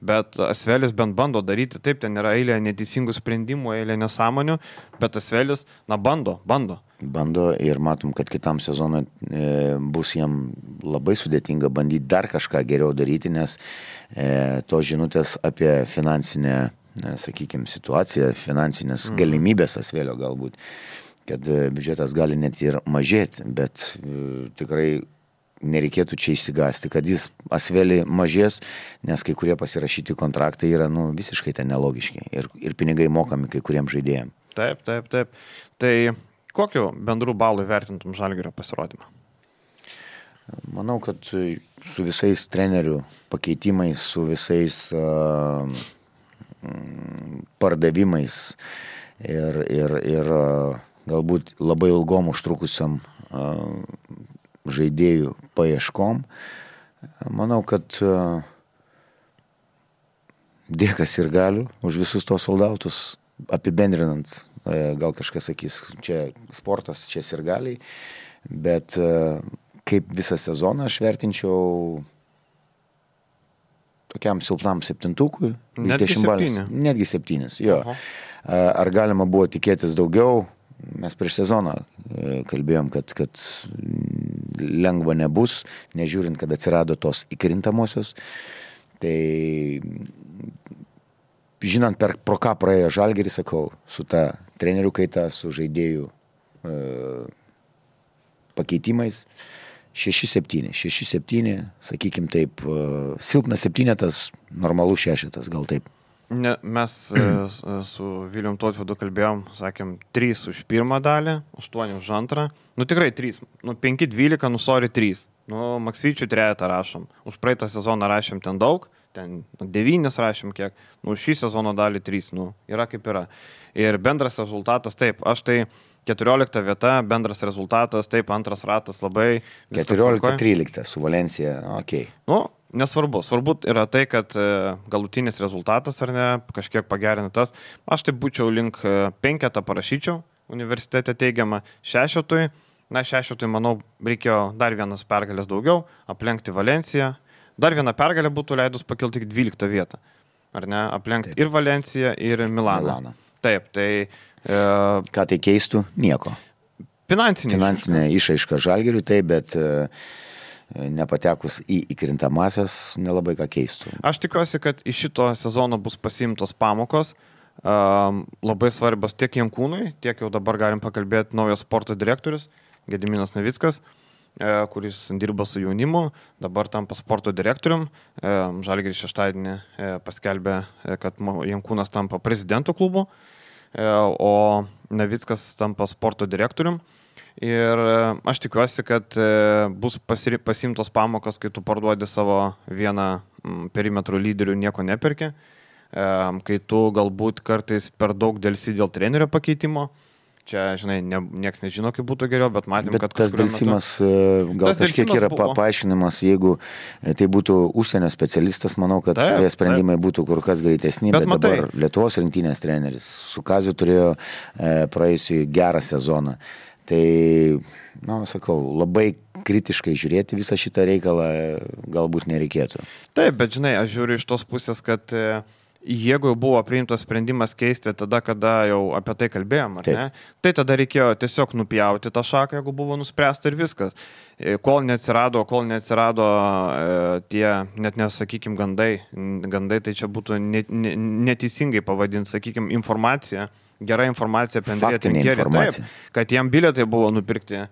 bet Asvelis bent bando daryti, taip, ten yra eilė neteisingų sprendimų, eilė nesąmonių, bet Asvelis, na, bando, bando. Bando ir matom, kad kitam sezonui e, bus jam labai sudėtinga bandyti dar kažką geriau daryti, nes e, tos žinutės apie finansinę, e, sakykime, situaciją, finansinės mm. galimybės Asvelio galbūt, kad e, biudžetas gali net ir mažėti, bet e, tikrai nereikėtų čia išsigąsti, kad jis Asvelį mažės, nes kai kurie pasirašyti kontraktai yra nu, visiškai ten nelogiški ir, ir pinigai mokami kai kuriem žaidėjim. Taip, taip, taip. Tai kokiu bendrų balų vertintum Žalgirio pasirodymą? Manau, kad su visais trenerių pakeitimais, su visais uh, pardavimais ir, ir, ir uh, galbūt labai ilgom užtrukusiam uh, žaidėjų paieškom. Manau, kad uh, dėkas ir galiu už visus tos soldautus apibendrinant, uh, gal kažkas sakys, čia sportas, čia sirgaliai, bet uh, kaip visą sezoną aš vertinčiau tokiam silpnam septintukui. Netgi septyni. Netgi septynis, jo. Aha. Ar galima buvo tikėtis daugiau? Mes prieš sezoną kalbėjom, kad, kad lengva nebus, nežiūrint, kad atsirado tos įkrintamosios. Tai žinant, per, pro ką praėjo Žalgiris, sakau, su ta trenerių kaita, su žaidėjų e, pakeitimais, šeši septyni, šeši septyni, sakykim taip, e, silpnas septynetas, normalus šešetas, gal taip. Ne, mes su Viljum Totvydu kalbėjom, sakėm, trys už pirmą dalį, aštuoni už antrą. Nu tikrai trys, nu penki dvylika, nu sorry trys. Nu Maksvyčių trejetą rašom. Už praeitą sezoną rašėm ten daug, ten devynis rašėm kiek. Nu šį sezono dalį trys, nu yra kaip yra. Ir bendras rezultatas, taip, aš tai keturiolikta vieta, bendras rezultatas, taip, antras ratas labai. keturiolikta trylikta su Valencija, okei. Okay. Nu, nesvarbu. Svarbu yra tai, kad galutinis rezultatas ar ne, kažkiek pagerina tas. Aš tai būčiau link penketą parašyčiau, universitete teigiama šešetui. Na, šešetui, manau, reikėjo dar vienas pergalės daugiau, aplenkti Valenciją. Dar viena pergalė būtų leidus pakilti iki dvyliktą vietą. Ar ne, aplenkti Taip. ir Valenciją, ir Milaną. Milaną. Taip, tai... E... Ką tai keistų? Nieko. Finansinė. Finansinė išraiška Žalgiriui, taip, bet... E... nepatekus į įkrintamasias, nelabai ką keistų. Aš tikiuosi, kad iš šito sezono bus pasiimtos pamokos, um, labai svarbios tiek Jankūnui, tiek jau dabar galim pakalbėti naujas sporto direktorius, Gediminas Navickas, e, kuris dirba su jaunimu, dabar tampa sporto direktorium. E, Žalgiris šeštadienį e, paskelbė, e, kad Jankūnas tampa prezidentų klubu, e, o Navickas tampa sporto direktorium. Ir aš tikiuosi, kad bus pasiri, pasimtos pamokos, kai tu parduodi savo vieną perimetrų lyderių, nieko neperki, kai tu galbūt kartais per daug dėlsi dėl trenerio pakeitimo Čia, žinai, ne, nieks nežino, kaip būtų geriau, bet matėm, bet kad tas dėlsimas, metu... gal tas kažkiek yra buvo... paaiškinimas, jeigu tai būtų užsienio specialistas, manau, kad taip, tie sprendimai taip. būtų kur kas greitesni, bet, bet matai... dabar Lietuvos rinktinės treneris su Kaziu turėjo e, praėjusį gerą sezoną. Tai, na, sakau, labai kritiškai žiūrėti visą šitą reikalą galbūt nereikėtų. Taip, bet žinai, aš žiūriu iš tos pusės, kad e... jeigu jau buvo priimtas sprendimas keisti tada, kada jau apie tai kalbėjom, ar ne, tai tada reikėjo tiesiog nupjauti tą šaką, jeigu buvo nuspręsta ir viskas. Kol neatsirado, kol neatsirado e, tie, net nesakykim, gandai, gandai, tai čia būtų net, ne, neteisingai pavadinti, sakykim, informacija, gera informacija apie Andriją Trinkierį, taip, kad jam bilietai buvo nupirkti.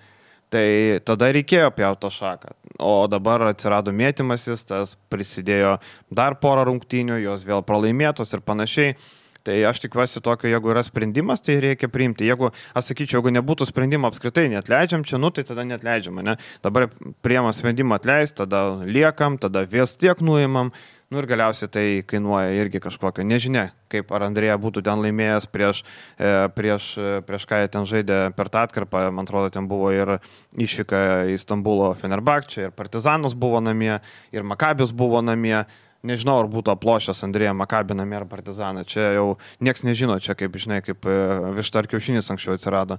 Tai tada reikėjo pjauti tą šaką. O dabar atsirado mėtymasis, tas prisidėjo dar porą rungtynių, jos vėl pralaimėtos ir panašiai. Tai aš tikiuosi tokio, jeigu yra sprendimas, tai reikia priimti. Jeigu, aš sakyčiau, jeigu nebūtų sprendimo apskritai neatleidžiam čia, nu tai tada neatleidžiam, ne? Dabar priimam sprendimą atleist, tada liekam, tada vis tiek nuimam. Nu ir galiausiai tai kainuoja irgi kažkokio. Nežinia, kaip ar Andrėja būtų ten laimėjęs prieš, e, prieš, prieš ką jie ten žaidė per tą atkarpą. Man atrodo, ten buvo ir išvyka į Stambulo Fenerbahčę, ir Partizanas buvo namie, ir Makabis buvo namie. Nežinau, ar būtų aplošęs Andrėja Makabį namie ar Partizaną. Čia jau nieks nežino, čia kaip, žinai, kaip višta ar kiaušinis anksčiau atsirado.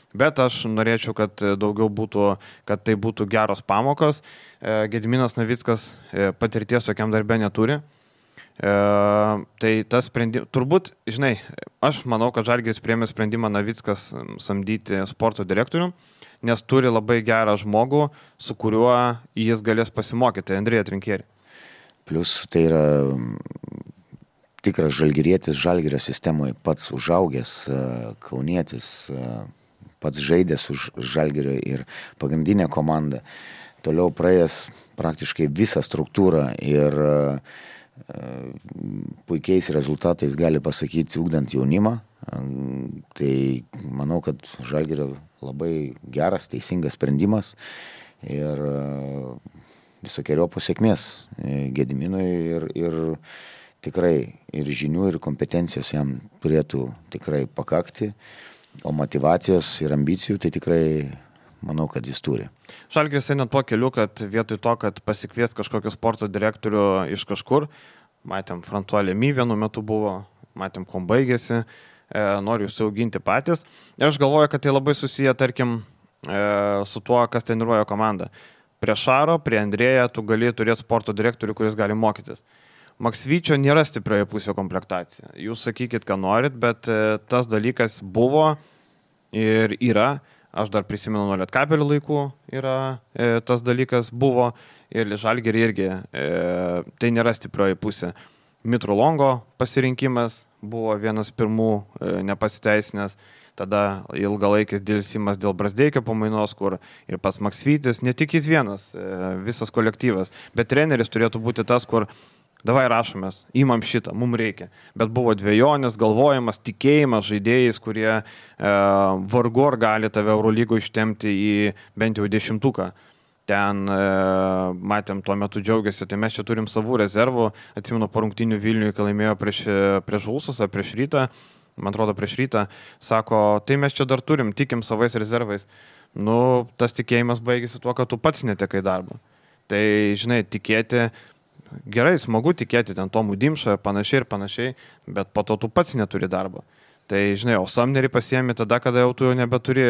Bet aš norėčiau, kad daugiau būtų, kad tai būtų geros pamokos. Gediminas Navickas patirties tokiam darbė neturi. Tai tas sprendimas, turbūt, žinai, aš manau, kad Žalgiris priėmė sprendimą Navickas samdyti sporto direktorių, nes turi labai gerą žmogų, su kuriuo jis galės pasimokyti, Andriją Trinkierį. Plius tai yra tikras žalgirietis, Žalgirio sistemoje pats užaugęs, kaunietis, pats žaidęs už Žalgirio ir pagrindinę komandą, toliau praėjęs praktiškai visą struktūrą ir puikiais rezultatais gali pasakyti, ugdant jaunimą. Tai manau, kad Žalgirio labai geras, teisingas sprendimas ir visokiojopos sėkmės Gediminui ir, ir tikrai ir žinių, ir kompetencijos jam turėtų tikrai pakakti. O motyvacijos ir ambicijų tai tikrai manau, kad jis turi. Žalgiris eina tuo keliu, kad vietoj to, kad pasikvies kažkokį sporto direktorių iš kažkur, matėm, François Lemy vienu metu buvo, matėm, kuom baigėsi, e, nori užsiauginti patys. Ir aš galvoju, kad tai labai susiję, tarkim, e, su tuo, kas treniruoja komandą. Prie Šaro, prie Andrėją tu gali turėti sporto direktorių, kuris gali mokytis. Maksvyčio nėra stiprioje pusė komplektacija. Jūs sakykit, ką norit, bet e, tas dalykas buvo ir yra. Aš dar prisimenu nuo Lietkabelio laikų yra e, tas dalykas buvo ir Žalgirį irgi. E, tai nėra stiprioji pusė. Mitro Longo pasirinkimas buvo vienas pirmų e, nepasiteisinęs. Tada ilgalaikis dėlsimas dėl Brazdeikio pamainos, kur ir pats Maksvytis, ne tik jis vienas, e, visas kolektyvas. Bet treneris turėtų būti tas, kur davai rašomės, įmam šitą, mums reikia. Bet buvo dvejonės, galvojimas, tikėjimas žaidėjais, kurie e, vargu ar gali tave Eurolygų ištemti į bent jau dešimtuką. Ten e, matėm, tuo metu džiaugiasi, tai mes čia turim savų rezervų. Atsimenu, po rungtynių Vilniuje, kai laimėjo prieš, prieš Žulsas ar prieš Rytą, man atrodo prieš Rytą, sako, tai mes čia dar turim, tikim savais rezervais. Nu, tas tikėjimas baigėsi tuo, kad tu pats netekai darbą. Tai, žinai, tikėti... Gerai, smagu tikėti ten Tomų Dimšą, panašiai ir panašiai, bet po to tu pats neturi darbo. Tai, žinai, o Samnerį pasiemi tada, kada jau tu jau nebeturi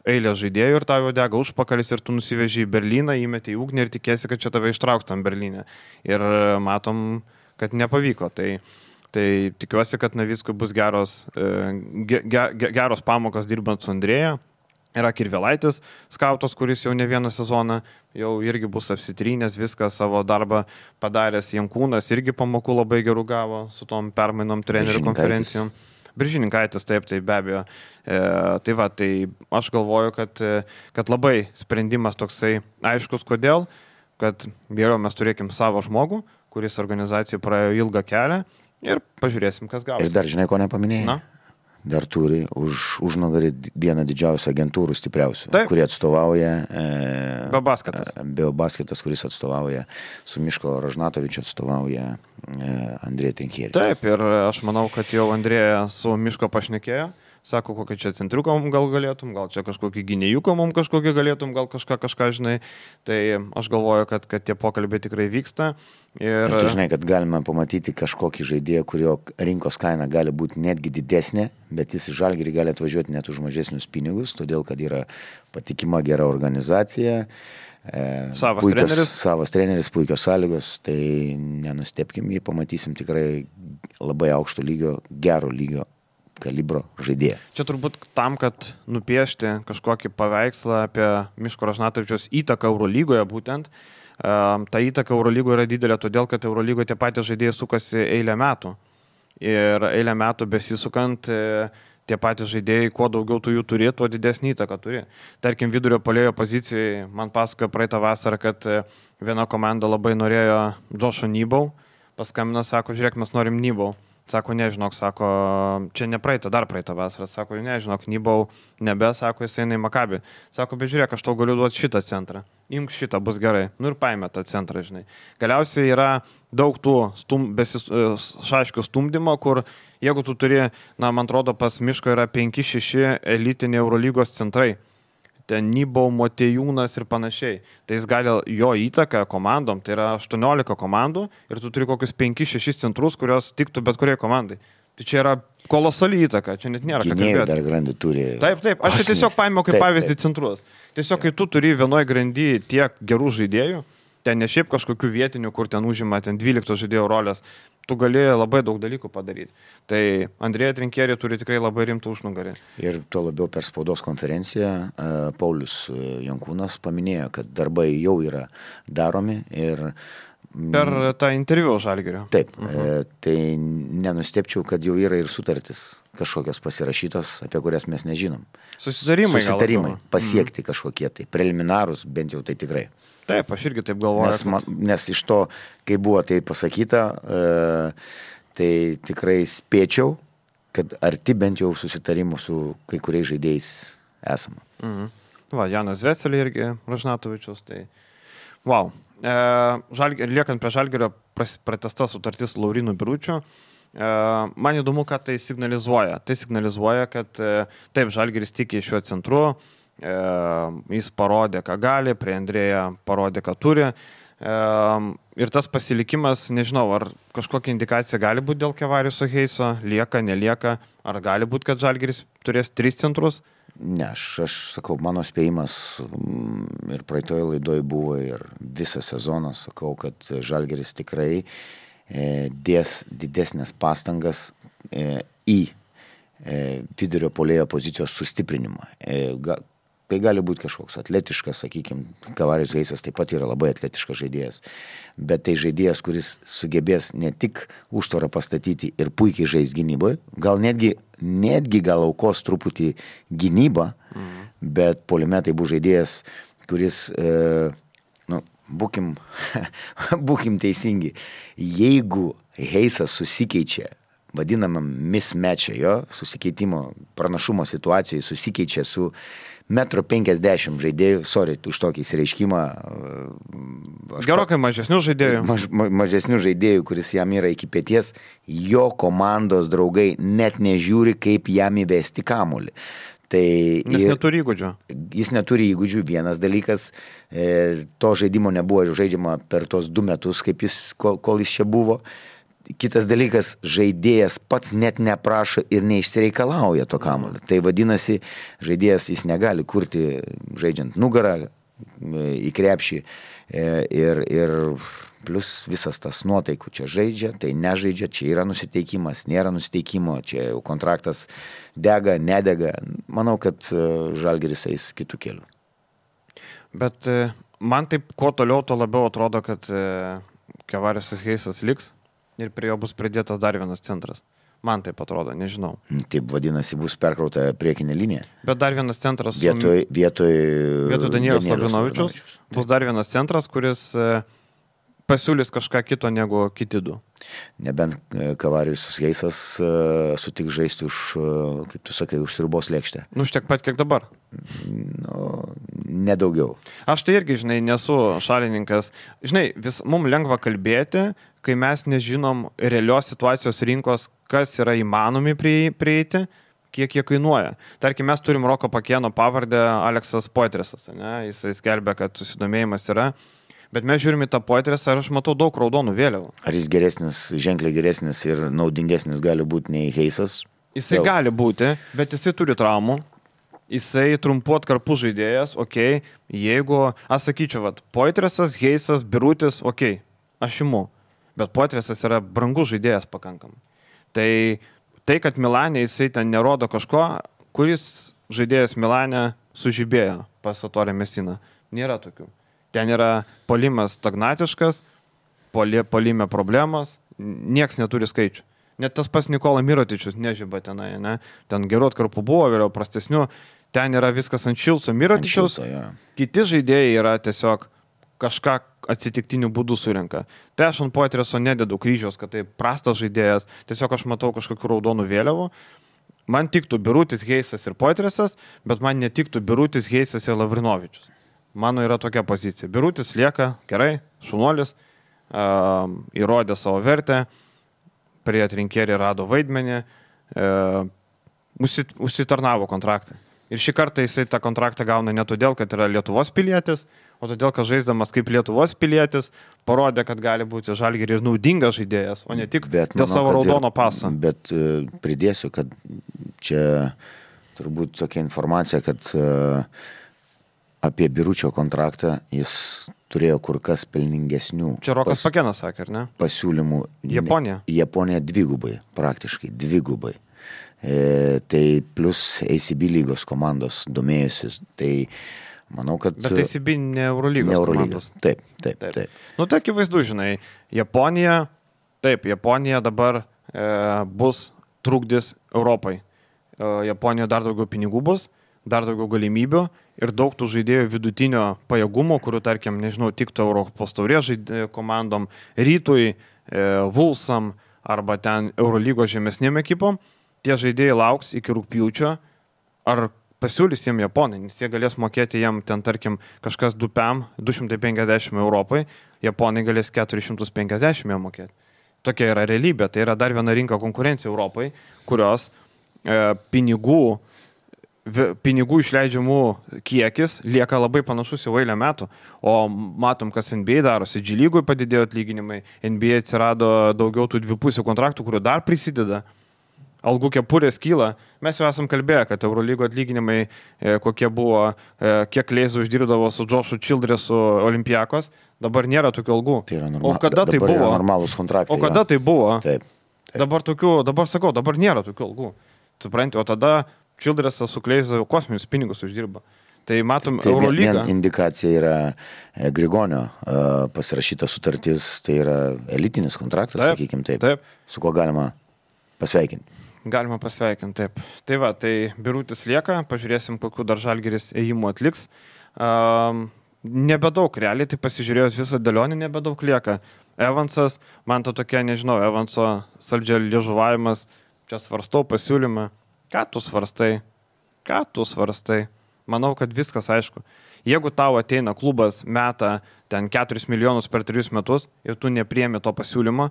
eilės žaidėjų ir tau jau dega užpakalis ir tu nusiveži į Berlyną, įmeti į ugnį ir tikėsi, kad čia tave ištrauks tam Berlyne. Ir matom, kad nepavyko. Tai, tai tikiuosi, kad Navickui bus geros, ge, ge, geros pamokos dirbant su Andrėja. Yra Kirvelaitis, skautas, kuris jau ne vieną sezoną jau irgi bus apsitrynęs, viską savo darbą padaręs. Jankūnas irgi pamokų labai gerų gavo su tom permainom trenerių konferencijom. Biržininkaitis, taip, tai be abejo. E, tai va, tai aš galvoju, kad, kad labai sprendimas toksai aiškus, kodėl, kad geriau mes turėkim savo žmogų, kuris organizacijai praėjo ilgą kelią ir pažiūrėsim, kas gausi. Ir dar žinai, ko nepaminėjai? Na? Dar turi už užnugarį vieną didžiausią agentūrų stipriausių, taip, kurie atstovauja e, Beobasketas. Beobasketas, kuris atstovauja su Miško Ražnatovičiu, atstovauja e, Andrėją Trinkierį. Taip, ir aš manau, kad jau Andrėja su Miško pašnekėjo, sako, kokį čia centriuką mums gal galėtum, gal čia kažkokį gynėjuką mums kažkokį galėtum, gal kažką, kažką, žinai. Tai aš galvoju, kad, kad tie pokalbiai tikrai vyksta. Ir... ir tu žinai, kad galime pamatyti kažkokį žaidėją, kurio rinkos kaina gali būti netgi didesnė, bet jis į Žalgirį gali atvažiuoti net už mažesnius pinigus, todėl kad yra patikima gera organizacija. Savas puikios, treneris. Savas treneris, puikios sąlygos, tai nenustepkim, jį pamatysim tikrai labai aukšto lygio, gero lygio kalibro žaidėją. Čia turbūt tam, kad nupiešti kažkokį paveikslą apie Miško Ražnatovičiaus įtaką Eurolygoje būtent, ta įtaka Eurolygoje yra didelė, todėl kad Eurolygoje tie patys žaidėjai sukasi eilę metų. Ir eilę metų besisukant, tie patys žaidėjai, kuo daugiau tu jų turi, tuo didesnį įtaką turi. Tarkim, vidurio puolėjo pozicijai, man pasakojo praeitą vasarą, kad viena komanda labai norėjo Joshua Nybau, paskambino, sako, žiūrėk, mes norim Nybau. Sako, nežinok, sako, čia ne praeitą, dar praeitą vasarą. Sako, nežinok, Nybau nebe, sako, jis eina į Makabį. Sako, bet žiūrėk, aš tau galiu duoti šitą centrą. Imk šitą, bus gerai. Nu ir paėmė tą centrą, žinai. Galiausiai yra daug tų stum, besis, šaškių stumdymo, kur jeigu tu turi, na, man atrodo, pas Miško yra penki šeši elitiniai Eurolygos centrai. Ten Nybau, Motejūnas ir panašiai. Tai jis gali jo įtaką komandom, tai yra aštuoniolika komandų ir tu turi kokius penki šeši centrus, kurios tiktų bet kuriai komandai. Tai čia yra kolosali įtaka, čia net nėra ką kalbėti. Gynėjų dar grandį turi. Taip, taip, aš čia tiesiog paėmiau kaip taip, pavyzdį taip. centrus. Tiesiog, kai tu turi vienoje grandy tiek gerų žaidėjų, ten ne šiaip kažkokių vietinių, kur ten užima ten dvylikto žaidėjo rolės, tu gali labai daug dalykų padaryti. Tai Andrėja Trinkierė turi tikrai labai rimtų užnugarį. Ir tuo labiau per spaudos konferenciją Paulius Jankūnas paminėjo, kad darbai jau yra daromi ir per tą interviu Žalgirio. Taip, uh-huh. Tai nenustepčiau, kad jau yra ir sutartis kažkokios pasirašytos, apie kurias mes nežinom. Susitarimai. Susitarimai, pasiekti uh-huh. kažkokie tai preliminarūs, bent jau tai tikrai. Taip, aš irgi taip galvoju. Nes, kad... nes iš to, kai buvo tai pasakyta, e, tai tikrai spėčiau, kad arti bent jau susitarimų su kai kuriais žaidėjais esama. Mhm. Va, Janas Veselė irgi, Ražnatovičius, tai wow. E, žalg... Liekant prie Žalgirio, pratęsta sutartis Laurinu Biručiu. E, man įdomu, ką tai signalizuoja. Tai signalizuoja, kad e, taip, Žalgiris tiki šiuo centru, E, jis parodė, ką gali, prie Andrėja parodė, ką turi. E, ir tas pasilikimas, nežinau, ar kažkokia indikacija gali būti dėl Kevariuso Heiso, lieka, nelieka, ar gali būti, kad Žalgiris turės tris centrus? Ne, aš, aš sakau, mano spėjimas ir praeitoje laidoje buvo ir visą sezoną, sakau, kad Žalgiris tikrai e, dės didesnės pastangas e, į e, vidurio puolėjo pozicijos sustiprinimą. E, ga, Tai gali būti kažkoks atletiškas, sakykime, Kavarijus Heisas taip pat yra labai atletiškas žaidėjas, bet tai žaidėjas, kuris sugebės ne tik užtvarą pastatyti ir puikiai žais gynyboje, gal netgi, netgi gal aukos truputį gynybą, mhm. bet puolime tai bus žaidėjas, kuris, e, nu, būkim, būkim teisingi, jeigu Heisas susikeičia, vadinamam mismatch'e, jo, susikeitimo pranašumo situacijoje susikeičia su metro penkiasdešimt žaidėjų, sorry, už tokį įsireiškimą. Gerokai mažesnių žaidėjų. Maž, ma, mažesnių žaidėjų, kuris jam yra iki pėties, jo komandos draugai net nežiūri, kaip jam įvesti kamuolį. Tai Nes ir, neturi įgūdžių. Jis neturi įgūdžių. Vienas dalykas, e, to žaidimo nebuvo žaidžiama per tos du metus, kaip jis, kol, kol jis čia buvo. Kitas dalykas, žaidėjas pats net neprašo ir neišsireikalauja to kamuolio. Tai vadinasi, žaidėjas jis negali kurti žaidžiant nugarą į krepšį ir, ir plus visas tas nuotaikų čia žaidžia, tai nežaidžia, čia yra nusiteikimas, nėra nusiteikimo, čia jau kontraktas dega, nedega. Manau, kad Žalgiris eis kitų kelių. Bet man taip, kuo toliau, to labiau atrodo, kad Kevariusas Heisas liks. Ir prie jo bus pridėtas dar vienas centras. Man taip atrodo, nežinau. Taip vadinasi, bus perkrauta priekinė linija. Bet dar vienas centras... Vietoj, vietoj, vietoj Danieliaus Lavrinovičiaus bus dar vienas centras, kuris pasiūlys kažką kito negu kiti du. Nebent Kavarijus Heisas sutiks žaisti už, kaip tu sakai, už sriubos lėkštę. Nu, tiek pat, kiek dabar. Nu, nedaugiau. Aš tai irgi, žinai, nesu šalininkas. Žinai, vis mums lengva kalbėti, kai mes nežinom realios situacijos rinkos, kas yra įmanomi prieiti, kiek jie kainuoja. Tarkim, mes turim Roko Pakėno pavardę Aleksas Poitresas, ne? Jisai skelbia, kad susidomėjimas yra, bet mes žiūrime tą Poitresą ir aš matau daug raudonų vėliavų. Ar jis geresnis, ženkliai geresnis ir naudingesnis gali būti nei Heisas? Jisai Vėl. gali būti, bet jisai turi traumų. Jisai trumpu atkarpų žaidėjas, okei, okay. Jeigu, aš sakyčiau, vat, Poitresas, Heisas, Birutis, okei, okay. Aš imu, bet Poitresas yra brangus žaidėjas pakankamai. Tai, tai, kad Milane jisai ten nerodo kažko, kuris žaidėjas Milane sužibėjo pas Atorė Mesiną, nėra tokių. Ten yra polimas stagnatiškas, poli, polime problemos, nieks neturi skaičių. Net tas pas Nikola Mirotičius nežiba tenai, ne? Ten gerų atkarpų buvo, vėliau prastesnių. Ten yra viskas ant Šilso Mirotičiaus. Ja. Kiti žaidėjai yra tiesiog kažką atsitiktinių būdų surinka. Tai aš ant Poitreso nededu kryžiaus, kad tai prastas žaidėjas. Tiesiog aš matau kažkokių raudonų vėliavų. Man tiktų Birutis, Heisas ir Poitresas, bet man netiktų Birutis, Heisas ir Lavrinovičius. Mano yra tokia pozicija. Birutis lieka gerai, šunuolis, uh, įrodė savo vertę. Prie atrinkėrį rado vaidmenį, e, užsitarnavo kontraktą. Ir šį kartą jisai tą kontraktą gauna ne todėl, kad yra Lietuvos pilietis, o todėl, kad žaisdamas kaip Lietuvos pilietis, parodė, kad gali būti Žalgiriui ir naudingas žaidėjas, o ne tik bet, dėl manau, savo raudono paso. Bet pridėsiu, kad čia turbūt tokia informacija, kad apie Biručio kontraktą jis turėjo kur kas pelningesnių. Čia Rokas pas, Pakėnas sakė, ar ne? Pasiūlymų. Japonija. Japonija dvigubai, praktiškai dvigubai. E, tai plus A C B lygos komandos domėjusis. Tai manau, kad... Bet A C B ne Eurolygos, ne Eurolygos. Taip, taip, taip, taip. Nu, tai akivaizdu, žinai, Japonija, taip, Japonija dabar e, bus trukdis Europai. E, Japonijoje dar daugiau pinigų bus, dar daugiau galimybių ir daug tų žaidėjų vidutinio pajėgumo, kurių, tarkim, nežinau, tiktų Europos taurės komandom, Rytui, e, Vulsam arba ten Eurolygos žemesnėm ekipom, tie žaidėjai lauks iki rugpjūčio, ar pasiūlys jiem Japonai, nes jie galės mokėti jiem ten, tarkim, kažkas du P M, du šimtai penkiasdešimt Europai, Japonai galės keturi šimtai penkiasdešimt jiem mokėti. Tokia yra realybė, tai yra dar viena rinka konkurencija Europai, kurios e, pinigų pinigų išleidžiamų kiekis lieka labai panašus į eilę metų. O matom, kas N B A darosi. G lygui padidėjo atlyginimai, N B A atsirado daugiau tų dvipusių kontraktų, kurių dar prisideda. Algų kepurės kyla. Mes jau esam kalbėję, kad Eurolygo atlyginimai e, kokie buvo, e, kiek Leizų uždirbdavo su Joshu Childressu Olympiakos, dabar nėra tokių algų. Tai yra norma... O kada tai dabar buvo? Normalūs kontraktai. O kada ja. tai buvo? Taip, taip. Dabar tokių, dabar sakau, dabar nėra tokių algų. Supranti, o tada Childressas su Kleizu kosminius pinigus uždirba. Tai matom, tai Eurolygą. Vien indikacija yra Grigonio pasirašyta sutartis, tai yra elitinis kontraktas, taip, sakykime taip, taip, su kuo galima pasveikinti. Galima pasveikinti, taip. Tai va, tai Birutis lieka, pažiūrėsim, kokiu dar Žalgiris ėjimų atliks. Um, nebedaug, realiai, tai pasižiūrėjus visą dėlionį, nebedaug lieka. Evansas, man to tokia, nežinau, Evanso saldžio liežuvavimas, čia svarstau pasiūlymą. Ką tu svarstai? Ką tu svarstai? Manau, kad viskas aišku. Jeigu tau ateina klubas, meta ten keturis milijonus per trijus metus ir tu nepriemi to pasiūlymo,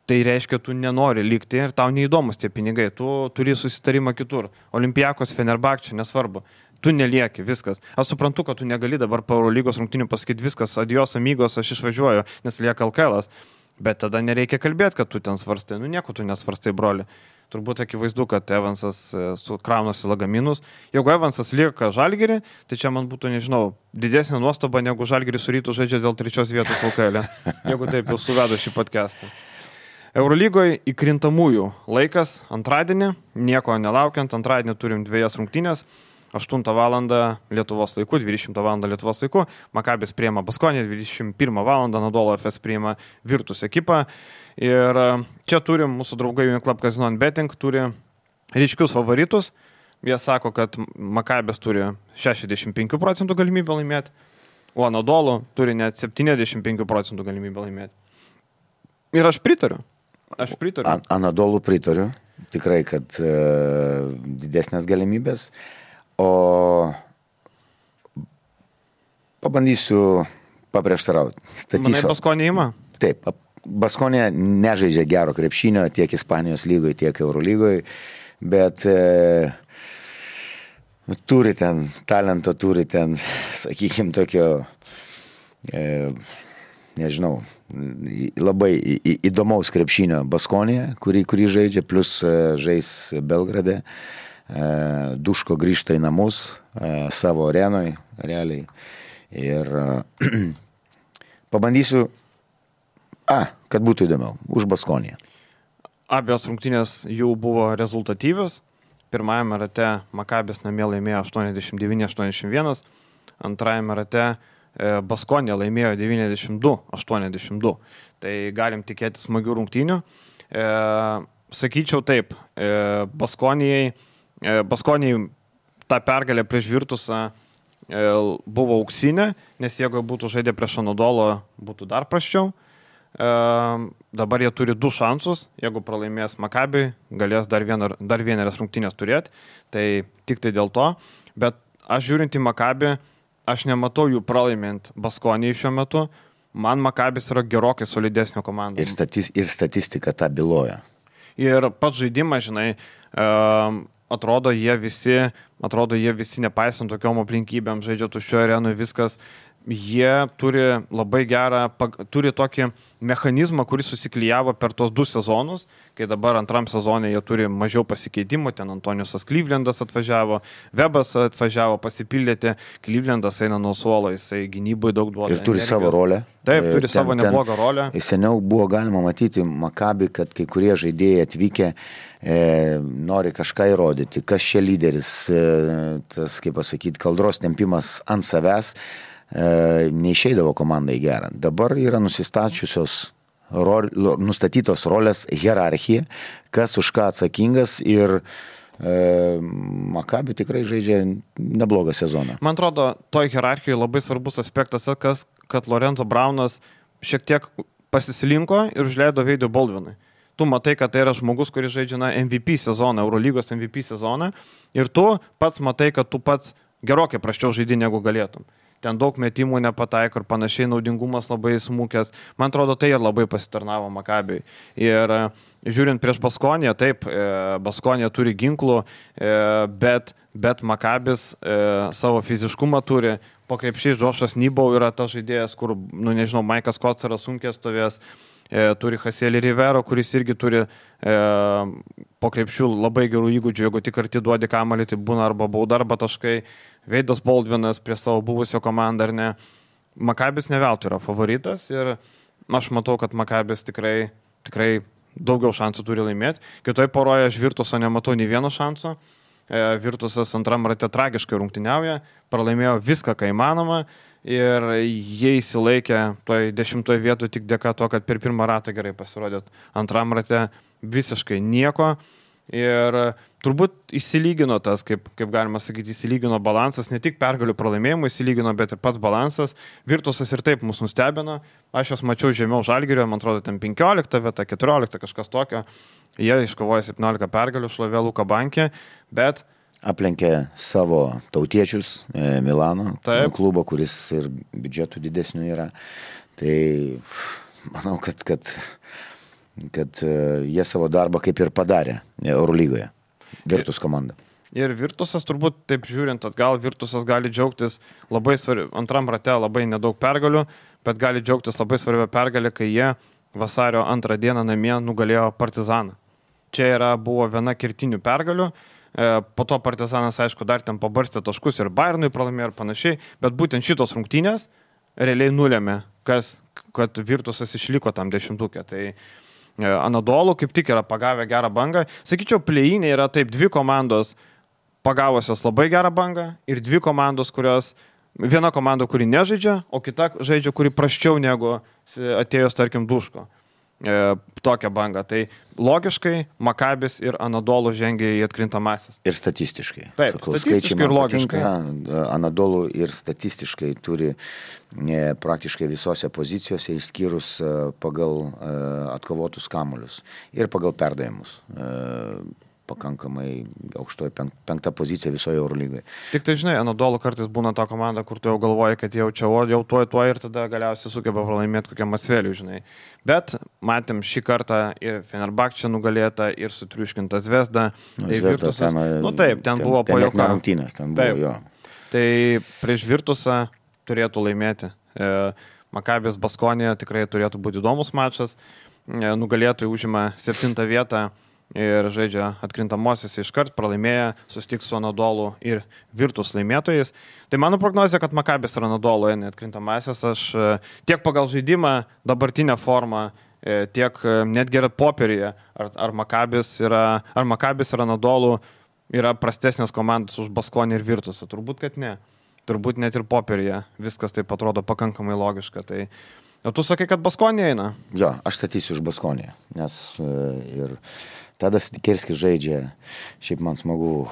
tai reiškia, tu nenori likti ir tau neįdomus tie pinigai. Tu turi susitarimą kitur. Olympiakos, Fenerbahčė, nesvarbu. Tu nelieki, viskas. Aš suprantu, kad tu negali dabar po Eurolygos rungtynių pasakyti viskas, adios amigos, aš išvažiuoju, nes lieka L K L-as. Bet tada nereikia kalbėti, kad tu ten svarstai. Nu, nieko tu nesvarstai, broli. Turbūt akivaizdu, kad Evansas sukraunasi lagaminus. Jeigu Evansas lieka Žalgirį, tai čia man būtų, nežinau, didesnė nuostaba, negu Žalgiris su Rytu žaidžia dėl trečios vietos L K L-e. Jeigu taip jau suvedu šį podcastą. Eurolygoje įkrintamųjų laikas antradienį, nieko nelaukiant, antradienį turim dviejas rungtynės. aštuntą valandą Lietuvos laiku, dvidešimtą valandą Lietuvos laiku, Makabis priima Baskonį, dvidešimt pirmą valandą Anadolu F S priima Virtus ekipą. Ir čia turim mūsų draugai Uniclub Casino and Betting, turi ryškius favoritus. Jie sako, kad Makabis turi šešiasdešimt penkių procentų galimybę laimėti, o Anadolu turi net septyniasdešimt penkių procentų galimybę laimėti. Ir aš pritariu. Aš pritariu. An- Anadolu pritariu. Tikrai, kad uh, didesnės galimybės. O pabandysiu paprieštarauti. Manai, Baskonė įma? Taip, Baskonė nežaidžia gero krepšinio tiek Ispanijos lygoje, tiek Eurolygoje, bet e, turi ten, talento turi ten, sakykime, tokio, e, nežinau, labai įdomaus krepšinio Baskonėje, kurį, kurį žaidžia, plus žais Belgrade. Duško grįžta į namus savo arenoj, realiai. Ir pabandysiu, a, kad būtų įdomiau, už Baskoniją. Abios rungtynės jau buvo rezultatyvios. Pirmajame rate Makabis namie laimėjo aštuoniasdešimt devyni aštuoniasdešimt vienas, antrajame rate Baskonė laimėjo devyniasdešimt du aštuoniasdešimt du. Tai galim tikėti smagių rungtynių. E, sakyčiau taip, e, Baskonijai, e, Baskonijai ta pergalė prieš Virtusą e, buvo auksinė, nes jeigu būtų žaidę prieš Anadolo, būtų dar prasčiau. E, dabar jie turi du šansus, jeigu pralaimės Makabiui, galės dar, vieną, dar vienerias rungtynės turėti, tai tik tai dėl to. Bet aš žiūrint į Makabį, aš nematau jų pralaimint Baskonijai šiuo metu. Man Makabis yra gerokai solidesnio komanda. Ir, statis, ir statistika tą byloja. Ir pats žaidimas, žinai, atrodo jie visi, atrodo jie visi nepaisant tokiom aplinkybėm, žaidžia tuščio arenui, viskas. Jie turi labai gerą, turi tokį mechanizmą, kuris susiklijavo per tos du sezonus, kai dabar antram sezone jie turi mažiau pasikeitimų, ten Antoniusas Clevelandas atvažiavo, Webas atvažiavo pasipildyti, Clevelandas eina nuo suolo, jisai gynybai daug duoda. Ir turi energijos. Savo rolę. Taip, turi ten, savo neblogą rolę. Seniau buvo galima matyti Maccabi, kad kai kurie žaidėjai atvykę e, nori kažką įrodyti, kas čia lyderis, e, tas, kaip pasakyti, kaldros tempimas ant savęs, neišeidavo komandai gerą. Dabar yra nusistačiusios, rol, nustatytos rolės hierarchija, kas už ką atsakingas ir e, Maccabi tikrai žaidžia neblogą sezoną. Man atrodo, toj hierarchijoje labai svarbus aspektas, kas, kad Lorenzo Braunas šiek tiek pasislinko ir užleido Veidui Baldvinui. Tu matai, kad tai yra žmogus, kuris žaidžia na, M V P sezoną, Eurolygos M V P sezoną ir tu pats matai, kad tu pats gerokai prasčiau žaidži negu galėtum. Ten daug metimų nepataiko ir panašiai, naudingumas labai smūkęs. Man atrodo, tai ir labai pasitarnavo Maccabiui. Ir žiūrint prieš Baskoniją, taip, Baskonija turi ginklų, bet, bet Maccabis savo fiziškumą turi. Po krepšiais Džošas Nybau yra tas žaidėjas, kur, nu nežinau, Maikas Kocaras sunkiai stovės. Turi Hasielį Rivero, kuris irgi turi e, po krepšių labai gerų įgūdžių. Jeigu tik arti duodi kamalį, tai būna arba bauda, arba taškai. Veidas Baldvinas prie savo buvusio komandą, ar ne. Maccabis ne veltui yra favoritas ir aš matau, kad Maccabis tikrai, tikrai daugiau šansų turi laimėti. Kitoje poroje aš Virtuso nematau nei vieno šanso. E, Virtusas antram rate tragiškai rungtyniauja, pralaimėjo viską, ką įmanoma. Ir jie įsilaikė toj dešimtoje vietoje tik dėka to, kad per pirmą ratą gerai pasirodėt. Antram rate visiškai nieko. Ir turbūt įsilygino tas, kaip, kaip galima sakyti, įsilygino balansas, ne tik pergalių pralaimėjimų įsilygino, bet ir pats balansas. Virtusas ir taip mus nustebino. Aš jos mačiau žemiau Žalgirio, man atrodo, ten penkiolikta vieta, keturiolikta, kažkas tokio. Jie iškovojo septyniolika pergalių, šlovė Luka Bankė, bet aplenkė savo tautiečius e, Milano Taip. Klubo, kuris ir biudžetų didesnių yra. Tai manau, kad, kad, kad e, jie savo darbą kaip ir padarė Eurolygoje. Virtus komanda. Ir Virtusas turbūt, taip žiūrint atgal, Virtusas gali džiaugtis labai svarbi, antram rate labai nedaug pergalių, bet gali džiaugtis labai svarbią pergalę, kai jie vasario antrą dieną namie nugalėjo Partizaną. Čia yra, buvo viena kertinių pergalių. Po to Partizanas, aišku, dar ten pabarstė taškus ir Bayernui pralaimėjo ir panašiai, bet būtent šitos rungtynės realiai nulėmė, kas, kad Virtusas išliko tam dešimtukė. Tai Anadolu kaip tik yra pagavę gerą bangą. Sakyčiau, play-inė yra taip dvi komandos pagavusios labai gerą bangą ir dvi komandos, kurios, viena komanda, kuri nežaidžia, o kita žaidžia, kuri prasčiau negu atėjus, tarkim, Duško. E, tokią bangą. Tai logiškai Maccabis ir Anadolu žengia į atkrintamasis. Ir statistiškai. Taip, Sakau, statistiškai ir logiškai. Patinka, Anadolu ir statistiškai turi e, praktiškai visose pozicijose išskyrus e, pagal e, atkovotus kamuolius ir pagal perdavimus. E, pakankamai aukštoje penk, penkta pozicija visoje Eurolygoje. Tik tai, žinai, Anadolu kartais būna ta komanda, kur tu jau galvoji, kad jau čia, o jau tuoj, tuoj ir tada galiausiai sugeba pralaimėti kokiam Masveliui, žinai. Bet matėm šį kartą ir Fenerbahčė nugalėta, ir sutriuškinta Zvezda. Nu, tai Zvezda Virtusas, ten, nu taip, ten, ten buvo pajuoka. pajuoka. Rungtynės, ten buvo, taip. jo. Tai prieš Virtusą turėtų laimėti. E, Makabis Baskonija tikrai turėtų būti įdomus mačas. E, nugalėtojai užima septintą vietą ir žaidžia atkrintamosios iškart, pralaimėję, susitiks su Anadolu ir Virtus laimėtojais. Tai mano prognozija, kad Makabis ir Anadolu eina atkrintamasis. Aš tiek pagal žaidimą, dabartinę formą, tiek netgi ir popieryje, ar, ar Makabis yra, ar Makabis ir Anadolu yra prastesnės komandos už Baskonį ir Virtusą. Turbūt, kad ne. Turbūt net ir popieryje viskas taip atrodo pakankamai logiška. Tai o tu sakai, kad Baskonė eina? Jo, aš statysiu už Baskonį, nes ir Tadas Sikerskis žaidžia, šiaip man smagu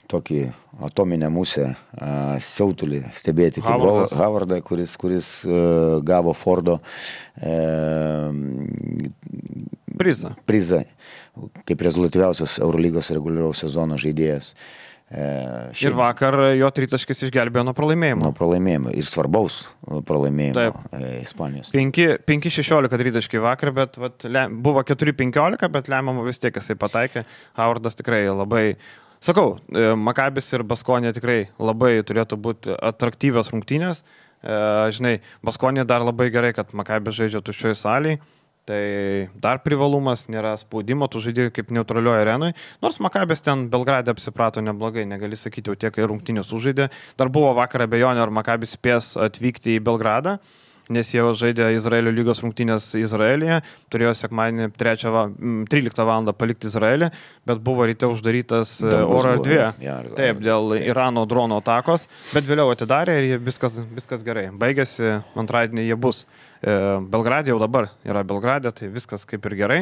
tokį atominę musę, uh, siautulį stebėti kaip Howardas. Howardą, kuris, kuris uh, gavo Fordo uh, prizą. prizą kaip rezultatyviausias Eurolygos reguliaraus sezono žaidėjas. Uh, ir vakar jo tritaškis išgelbėjo nuo pralaimėjimo. Nuo pralaimėjimo ir svarbaus pralaimėjimo uh, Ispanijos. penki šešiolika tritaškai vakar, bet vat, le, buvo keturi penkiolika, bet lemiamą vis tiek jisai pataikė. Howardas tikrai labai, sakau, Makabis ir Baskonė tikrai labai turėtų būti atraktyvios rungtynės. E, žinai, Baskonė dar labai gerai, kad Makabis žaidžia tuščioj salėje. Tai dar privalumas, nėra spaudimo, tu žaidži kaip neutralioje arenui. Nors Makabis ten Belgrade apsiprato neblogai, negali sakyti, jau tiek rungtynės sužaidė. Dar buvo vakar abejonių, ar Makabis spės atvykti į Belgradą, nes jie žaidė Izraelio lygos rungtynės Izraelyje, turėjo sekmadienį tryliktą valandą palikti Izraelį, bet buvo ryte uždarytas Dangus oro erdvė. Ja, taip, dėl taip. Irano drono atakos, bet vėliau atidarė ir viskas, viskas gerai. Baigėsi, antradienį jie bus. Belgradė jau dabar yra Belgradė, tai viskas kaip ir gerai.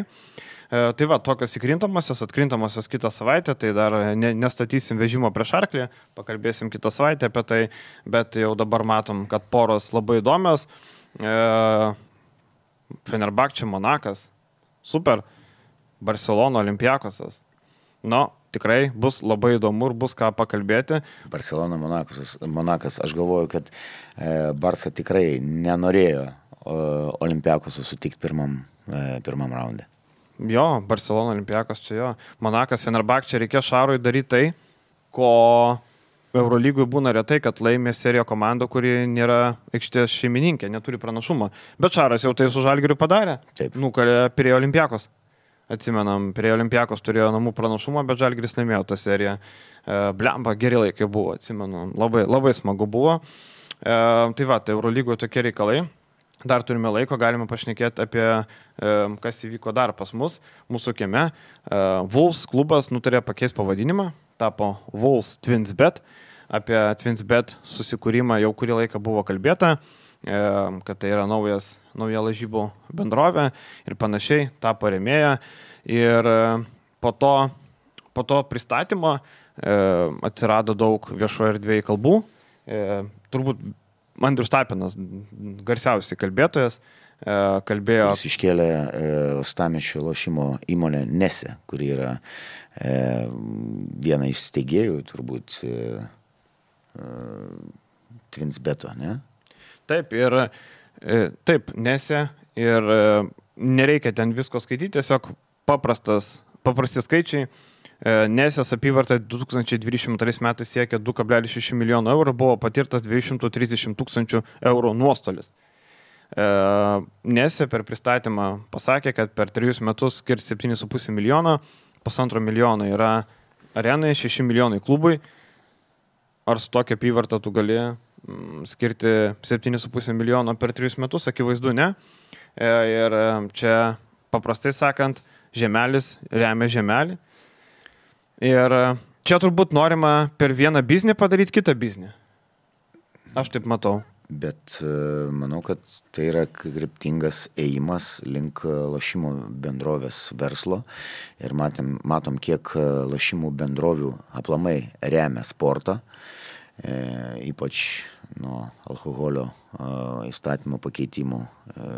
Tai va, tokios įkrintamosios, atkrintamosios kitą savaitę, tai dar ne, nestatysim vežimo prieš arklį, pakalbėsim kitą savaitę apie tai, bet jau dabar matom, kad poros labai įdomios. Fenerbahčė, Monakas, super, Barcelona, Olimpiakosas. Nu, tikrai bus labai įdomu ir bus ką pakalbėti. Barcelona, Monakas, Monakas. Aš galvoju, kad e, Barsa tikrai nenorėjo Olimpiakosą sutikti pirmam, e, pirmam raunde. Jo, Barcelona, Olimpiakos čia jo. Monakas, Fenerbahčė, reikėjo Šarui daryti tai, ko Eurolygui būna retai, kad laimė seriją komanda, kuri nėra aikštės šeimininkė, neturi pranašumo. Bet Šaras jau tai su Žalgiriu padarė. Taip. Nukalė prie Olimpiakos. Atsimenam, prie Olimpiakos turėjo namų pranašumą, bet Žalgiris laimėjo tą seriją. E, blemba, geri laikai buvo, atsimenu. Labai, labai smagu buvo. E, tai va, tai Eurolygoje tokie reikalai. Dar turime laiko, galime pašnekėti apie, e, kas įvyko dar pas mus, mūsų kieme. E, Wolves klubas nutarė pakeisti pavadinimą, tapo Wolves TwinsBet. Apie TwinsBet susikūrimą jau kurį laiką buvo kalbėta, e, kad tai yra naujas, nauja lažybų bendrovė ir panašiai, tapo rėmėja. Ir e, po to, po to pristatymo e, atsirado daug viešoje erdvėje kalbų. E, turbūt Andrius Tapinas, garsiausiai kalbėtojas, kalbėjo... Jis iškėlė e, Uostamiesčio lošimo įmonę Nese, kuri yra e, viena iš steigėjų, turbūt, e, e, TwinsBeto, ne? Taip, ir e, taip, Nese, ir e, nereikia ten visko skaityti, tiesiog paprastas, paprasti skaičiai. Nesės apyvarta du tūkstančiai dvidešimt antrais metais siekia du kablelis šeši milijono eurų, buvo patirtas dviejų šimtų trisdešimt tūkstančių eurų nuostolis. Nesė per pristatymą pasakė, kad per trejus metus skirs septyni su puse milijono, pusantro milijono yra arenai, šeši milijonai klubui. Ar su tokia apyvarta tu gali skirti septyni su puse milijono per trejus metus? Akivaizdu, ne. Ir čia, paprastai sakant, žemelis remia žemelį. Ir čia turbūt norima per vieną biznį padaryti kitą biznį. Aš taip matau. Bet manau, kad tai yra kryptingas ėjimas link lošimų bendrovės verslo. Ir matėm, matom, kiek lošimų bendrovių aplamai remia sportą, e, ypač nuo alkoholio e, įstatymo pakeitimų, e,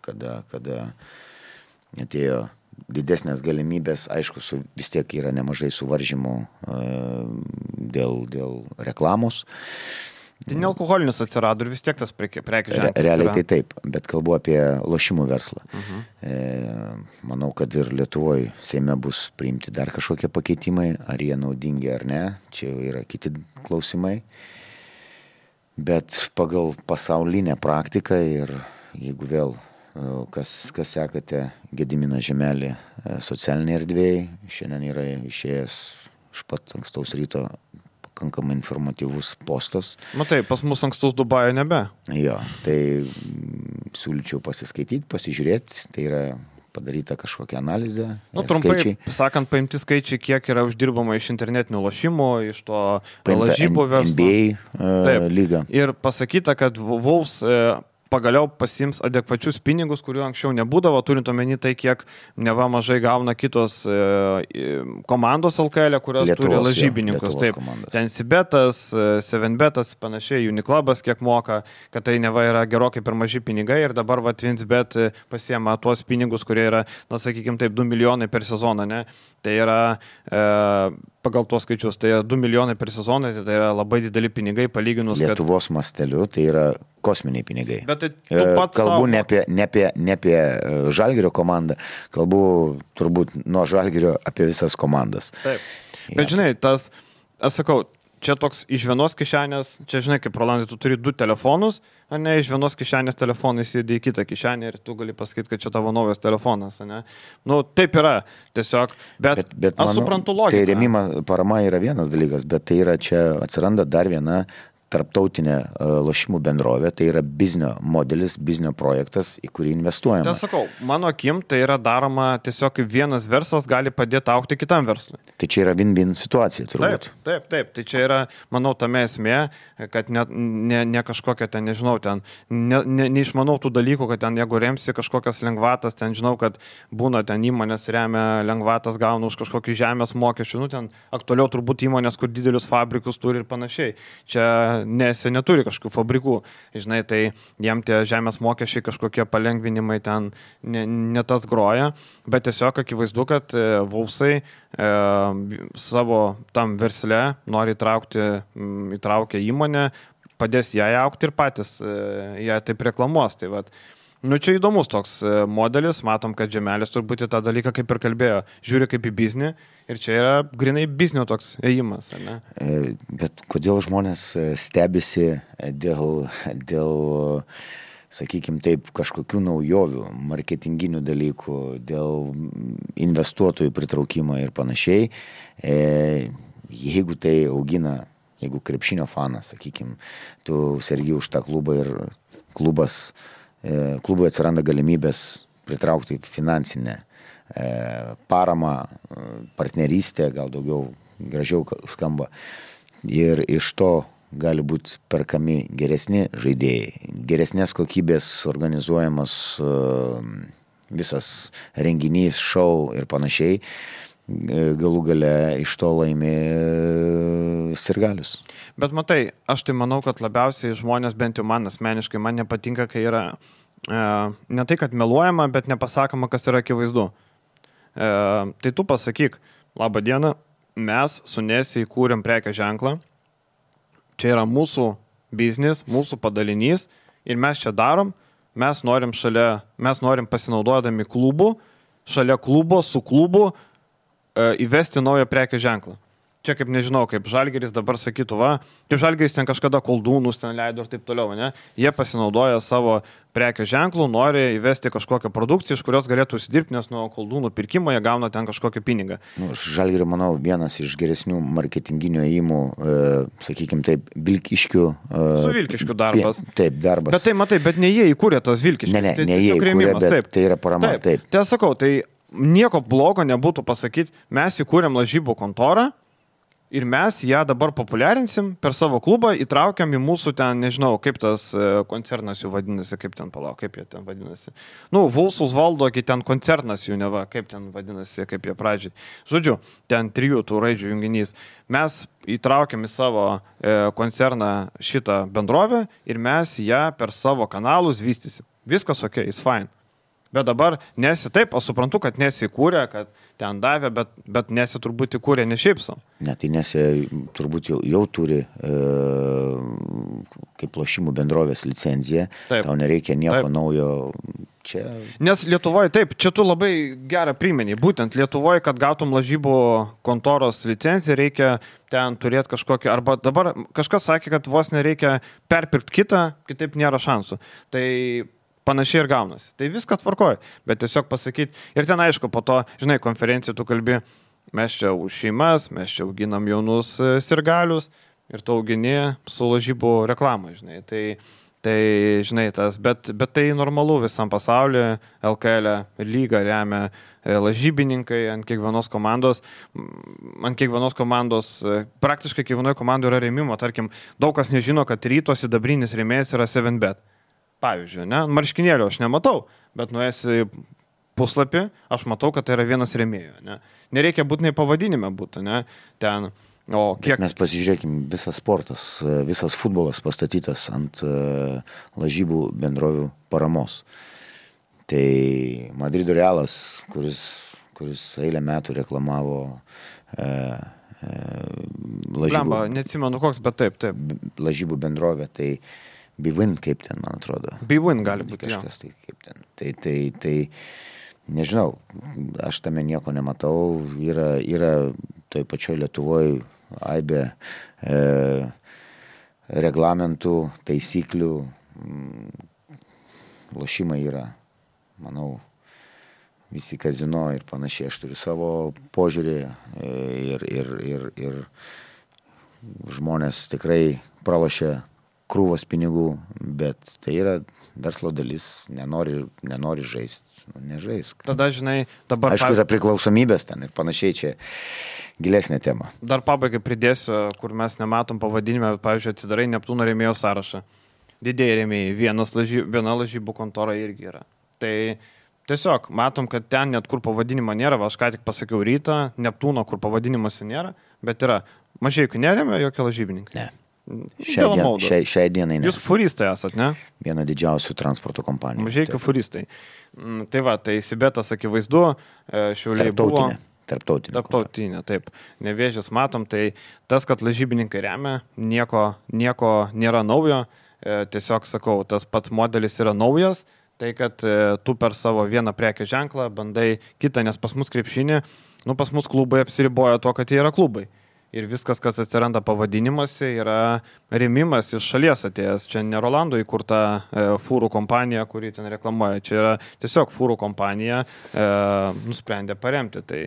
kada, kada atėjo didesnės galimybės, aišku, su, vis tiek yra nemažai suvaržymų dėl, dėl reklamos. Tai nealkoholinis atsirado ir vis tiek tas prekės ženklas. Realiai tai taip, bet kalbu apie lošimų verslą. Uh-huh. E, manau, kad ir Lietuvoje Seime bus priimti dar kažkokie pakeitimai, ar jie naudingi ar ne, čia jau yra kiti klausimai. Bet pagal pasaulinę praktiką ir jeigu vėl, kas, kas sekate Gediminą Žemelį socialinėje erdvėje, šiandien yra išėjęs iš pat ankstaus ryto pakankamai informatyvus postas. Matai, pas mus ankstus Dubajo nebe. Jo, tai siūlyčiau pasiskaityti, pasižiūrėti, tai yra padaryta kažkokia analizė. Nu, trumpai, skaičiai. Sakant, paimti skaičiai, kiek yra uždirbama iš internetinių lošimų, iš to lažybų verslo. N B A uh, lyga. Ir pasakyta, kad Wolves uh, pagaliau pasiims adekvačius pinigus, kurių anksčiau nebūdavo, turint omeny tai, kiek neva mažai gauna kitos e, komandos L K L, kurios Lietuvos, turi lažybininkus. Taip, ten Sibetas, Sevenbetas, panašiai, Uniclubas kiek moka, kad tai neva yra gerokai per maži pinigai ir dabar va Twinsbet pasiema tuos pinigus, kurie yra, na sakykime taip, du milijonai per sezoną, ne? Tai yra, e, pagal tuos skaičius, tai yra du milijonai per sezoną, tai yra labai dideli pinigai palyginus. Lietuvos kad... masteliu tai yra kosminiai pinigai. Bet tai tu pats kalbu savo... ne apie, ne apie, ne apie Žalgirio komandą, kalbu turbūt nuo Žalgirio apie visas komandas. Taip. Bet ja. Žinai, tas, aš sakau, čia toks iš vienos kišenės, čia žinai, kaip Rolandai, tu turi du telefonus, ar ne, iš vienos kišenės telefonai įsidė į kitą kišenę ir tu gali pasakyti, kad čia tavo naujas telefonas, ne. Nu, taip yra, tiesiog, bet, bet, bet aš manau, suprantu logiką. Tai rėmima parama yra vienas dalykas, bet tai yra čia atsiranda dar viena tarptautinė lošimų bendrovė, tai yra biznio modelis, biznio projektas, į kurį investuojama. Tai sakau, mano akim, tai yra daroma tiesiog kaip vienas verslas gali padėti aukti kitam verslui. Tai čia yra win-win situacija, turbūt. Taip, taip, taip. Tai čia yra, manau, tame esmė, kad ne, ne, ne kažkokia ten, nežinau, ten, ne, ne, neišmanau tų dalykų, kad ten, jeigu remsi kažkokias lengvatas, ten žinau, kad būna ten įmonės remia lengvatas, gauna už kažkokį žemės mokesčių, nu ten aktualiau turbūt įmonės, kur didelius fabrikus turi ir panašiai. Čia nes jie neturi kažkokių fabrikų, žinai, tai jiem tie žemės mokesčiai kažkokie palengvinimai ten ne, ne tas groja, bet tiesiog akivaizdu, kad e, Wolvesai e, savo tam versle nori įtraukti, m, įtraukia įmonę, padės ją aukti ir patys e, ją taip reklamuos. Tai vat, nu čia įdomus toks modelis, matom, kad Žemelis turbūt į tą dalyką kaip ir kalbėjo, žiūri kaip į biznį ir čia yra grinai biznio toks ėjimas, ar ne? Bet kodėl žmonės stebisi dėl, dėl sakykime taip, kažkokių naujovių, marketinginių dalykų, dėl investuotojų pritraukimo ir panašiai, jeigu tai augina, jeigu krepšinio fanas, sakykime, tu sergi už tą klubą ir klubas klubui atsiranda galimybės pritraukti finansinę paramą, partnerystę, gal daugiau gražiau skamba. Ir iš to gali būti perkami geresni žaidėjai, geresnės kokybės organizuojamas visas renginys, šou ir panašiai. Galų gale iš to laimi sirgalius. Bet matai, aš tai manau, kad labiausiai žmonės, bent jau man asmeniškai, man nepatinka, kai yra e, ne tai, kad meluojama, bet nepasakoma, kas yra akivaizdu. E, tai tu pasakyk, labą dieną, mes su Nesi įkūrėm prekės ženklą, čia yra mūsų biznis, mūsų padalinys ir mes čia darom, mes norim šalia, mes norim pasinaudodami klubų, šalia klubo, su klubu, įvesti naują prekės ženklą. Čia kaip nežinau, kaip Žalgiris dabar sakytų, va, kaip Žalgiris ten kažkada koldūnus ten leido ir taip toliau, ne? Jie pasinaudoja savo prekės ženklų, nori įvesti kažkokią produkciją, iš kurios galėtų užsidirbti, nes nuo koldūnų pirkimo jie gauna ten kažkokį pinigą. Nu, Žalgirio, manau, vienas iš geresnių marketinginių ėjimų, e, sakykime taip, Vilkiškių. E, Su Vilkiškių darbas. Taip, darbas. Bet tai matai, bet ne jie įkūrė tos Vilkiškius. Ne, ne, tai ne jie įkūrė, bet taip, tai yra parama. Taip, taip. Tai aš sakau, tai nieko blogo nebūtų pasakyti, mes įkūrėm lažybų kontorą ir mes ją dabar populiarinsim per savo klubą, įtraukiam į mūsų ten, nežinau, kaip tas koncernas jų vadinasi, kaip ten palauk, kaip jie ten vadinasi. Nu, Wolvesus valdo, kai ten koncernas jų neva, kaip ten vadinasi, kaip jie pradžiai. Žodžiu, ten trijų tų raidžių junginys. Mes įtraukiam į savo e, koncerną šitą bendrovę ir mes ją per savo kanalus vystysim. Viskas ok, it's fine. Bet dabar nesi taip, aš suprantu, kad nesi įkūrė, kad ten davė, bet, bet nesi turbūt įkūrė ne šiaip savo. Ne, tai nesi turbūt jau, jau turi e, kaip lošimų bendrovės licenciją, taip. Tau nereikia nieko taip. Naujo. Čia... Nes Lietuvoje, taip, čia tu labai gerą primenį, būtent Lietuvoje, kad gautum lažybų kontoros licenciją, reikia ten turėti kažkokį, arba dabar kažkas sakė, kad vos nereikia perpirkti kitą, kitaip nėra šansų. Tai panašiai ir gaunasi. Tai viską tvarkoja, bet tiesiog pasakyti, ir ten aišku, po to, žinai, konferencijų tu kalbi, mes čia už šeimas, mes čia auginam jaunus sirgalius ir tu augini su lažybų reklamą, žinai. Tai Tai, žinai, tas, bet, bet tai normalu visam pasaulyje, L K L lyga remia lažybininkai ant kiekvienos komandos, ant kiekvienos komandos, praktiškai kiekvienoje komandoje yra rėmimo, tarkim, daug kas nežino, kad Ryto sidabrinis rėmėjas yra seven bet. Pavyzdžiui, ne, marškinėlio aš nematau, bet nuėsi puslapį, aš matau, kad tai yra vienas rėmėjų, ne. Nereikia būtinai pavadinime būtų, ne, ten... O kiek... Mes pasižiūrėkime, visas sportas, visas futbolas pastatytas ant uh, lažybų bendrovių paramos. Tai Madrido Realas, kuris, kuris eilę metų reklamavo uh, uh, lažybų... Lemba, neatsimenu koks, bet taip, taip. Lažybų bendrovė, tai Bwin kaip ten, man atrodo. Bwin gali būti, kažkas tai kaip ten. Tai, tai, tai, nežinau, aš tame nieko nematau, yra, yra toj pačioj Lietuvoje aibė e, reglamentų, taisyklių, lošimai yra, manau, visi kazino ir panašiai. Aš turiu savo požiūrį ir, ir, ir, ir žmonės tikrai pralošia krūvos pinigų, bet tai yra verslo dalis, nenori, nenori žaisti, nu, nežaisk. Tada, žinai, dabar... Aišku, yra priklausomybės ten ir panašiai, čia gilesnė tema. Dar pabaigai pridėsiu, kur mes nematom pavadinime, pavyzdžiui, atsidarai Neptūno rėmėjų sąrašą. Didėjai rėmėjai, vienas lažy, viena lažybų kontora irgi yra. Tai tiesiog matom, kad ten net kur pavadinimo nėra, va, aš ką tik pasakiau Rytą, Neptūno, kur pavadinimuose nėra, bet yra Mažeikių nerėmė jokie lažybininkai. Ne. Šiai, dien, šiai, šiai dienai ne. Jūs furistai esat, ne? Viena didžiausių transporto kompanijų. Mažeikių furistai. Tai va, tai Sibetas akivaizdu, Šiauliai buvo. Tarptautinė. Tarptautinė, taip. Nevėžės matom, tai tas, kad lažybininkai remia, nieko, nieko nėra naujo. Tiesiog sakau, tas pats modelis yra naujas, tai kad tu per savo vieną prekės ženklą bandai kitą, nes pas mus krepšinį, nu pas mus klubai apsiriboja tuo, kad jie yra klubai. Ir viskas, kas atsiranda pavadinimuose, yra rėmimas iš šalies atėjęs. Čia ne Rolando įkurta e, fūrų kompanija, kuri ten reklamuoja. Čia yra tiesiog fūrų kompanija e, nusprendė paremti. Tai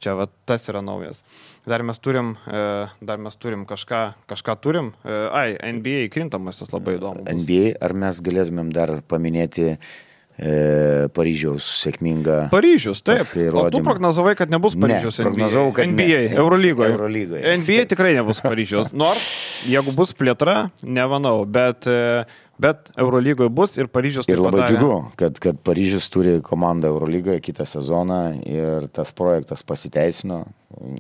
čia va, tas yra naujas. Dar mes turim, e, dar mes turim kažką, kažką turim. E, ai, N B A krintamasis labai įdomu. Bus. N B A, ar mes galėtumėm dar paminėti E, Paryžiaus sėkminga Paryžius, taip. Pasirodymą. O tu prognozavai, kad nebus Paryžius ne, N B A. N B A, ne. Eurolygoje. Eurolygoje. N B A tikrai nebus Paryžius. Nors, jeigu bus plėtra, nemanau, bet, bet Eurolygoje bus ir Paryžius. Ir labai džiugu, kad, kad Paryžius turi komandą Eurolygoje kitą sezoną ir tas projektas pasiteisino.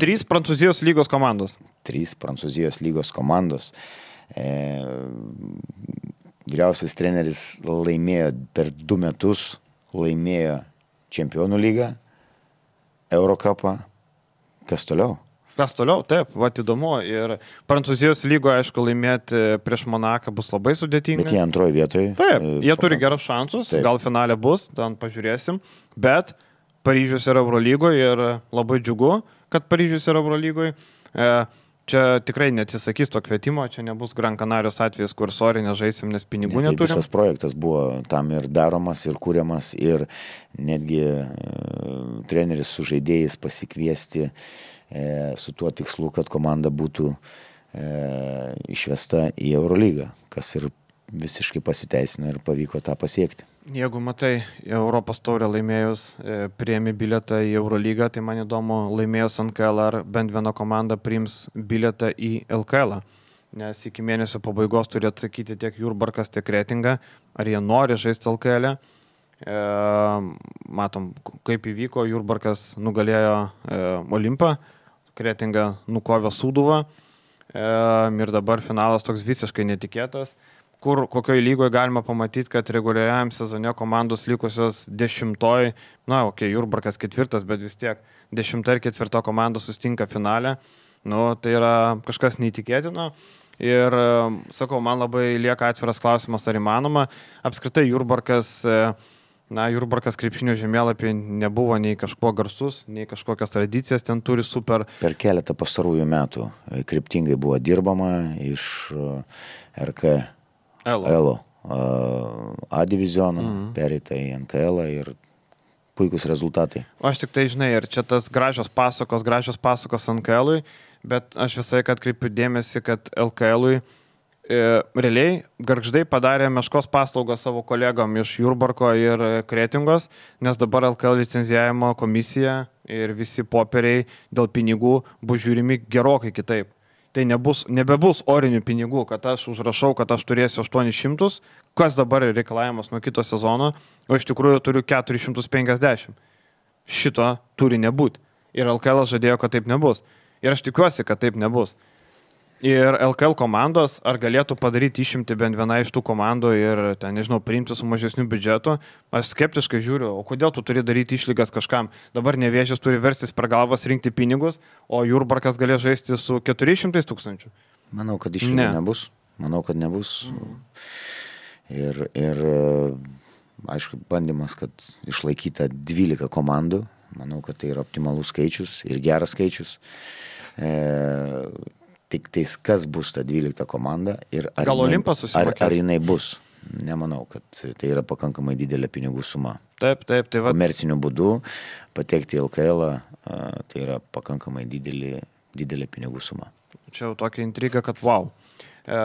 Trys Prancūzijos lygos komandos. Trys Prancūzijos lygos komandos. E, Vyriausias treneris laimėjo per du metus, laimėjo Čempionų lygą, Eurocupą. Kas toliau? Kas toliau, taip, va įdomu. Ir Prancūzijos lygoje, aišku, laimėti prieš Monaką bus labai sudėtinga. Bet jie antroje vietoje. Taip, jie turi gerus šansus, taip. Gal finale bus, ten pažiūrėsim. Bet Paryžius yra Eurolygoje ir labai džiugu, kad Paryžius yra Eurolygoje. E, Čia tikrai neatsisakys to kvietimo, čia nebus Gran Canarijos atvejis, kur sorry nežaisim, nes pinigų ne, tai neturim. Visas projektas buvo tam ir daromas, ir kūriamas, ir netgi e, treneris su žaidėjais pasikviesti e, su tuo tikslu, kad komanda būtų e, išvesta į Eurolygą, kas ir visiškai pasiteisino ir pavyko tą pasiekti. Jeigu matai, Europos taurę laimėjus, e, priemi bilietą į Eurolygą, tai man įdomu, laimėjus N K L, ar bent viena komanda priims bilietą į L K L. Nes iki mėnesio pabaigos turi atsakyti tiek Jurbarkas, tiek Kretinga, ar jie nori žaisti L K L. E, matom, kaip įvyko, Jurbarkas nugalėjo e, Olimpą, Kretinga nukovė Sūduvą e, ir dabar finalas toks visiškai netikėtas. kur kokioje lygoje galima pamatyti, kad reguliariam sezone komandos likusios dešimtoj, na, okei, okay, Jurbarkas ketvirtas, bet vis tiek dešimta ir ketvirta komanda sustinka finale. Nu, tai yra kažkas neįtikėtino. Ir, sakau, man labai lieka atviras klausimas, ar įmanoma. Apskritai Jurbarkas... Na, Jurbarkas krepšinio žemėlapį nebuvo nei kažkuo garsus, nei kažkokias tradicijas ten turi super. Per keletą pastarųjų metų kryptingai buvo dirbama iš R K L A diviziono, mhm. pereita į N K L ir puikus rezultatai. O aš tik tai žinai, ir čia tas gražios pasakos, gražios pasakos N K L-ui, bet aš visai kad kreipiu dėmesį, kad L K L-ui E, realiai Gargždai padarė meškos paslaugą savo kolegom iš Jurbarko ir Kretingos, nes dabar L K L licenzijavimo komisija ir visi popieriai dėl pinigų bus žiūrimi gerokai kitaip. Tai nebus, nebebus orinių pinigų, kad aš užrašau, kad aš turėsiu aštuonis šimtus, kas dabar yra reikalavimas nuo kito sezono, o iš tikrųjų turiu keturis šimtus penkiasdešimt. Šito turi nebūti. Ir L K L žadėjo, kad taip nebus. Ir aš tikiuosi, kad taip nebus. Ir L K L komandos, ar galėtų padaryti išimti bent vieną iš tų komandų ir, ten, nežinau, priimti su mažesniu biudžetu, aš skeptiškai žiūriu, o kodėl tu turi daryti išlygas kažkam? Dabar Nevėžis turi verstis per galvas rinkti pinigus, o Jurbarkas galės žaisti su keturiais šimtais tūkstančių. Manau, kad išlygų ne. nebus. Manau, kad nebus. Mhm. Ir, ir, aišku, bandymas, kad išlaikyta dvylika komandų, manau, kad tai yra optimalus skaičius ir geras skaičius. E, Tik tais, kas bus ta dvylikta komanda ir ar, jinai, ar, ar jinai bus. Nemanau, kad tai yra pakankamai didelė pinigų suma. Taip, taip, tai va. Komerciniu būdu patekti į L K L, tai yra pakankamai didelė, didelė pinigų suma. Čia jau tokia intriga, kad wow. E,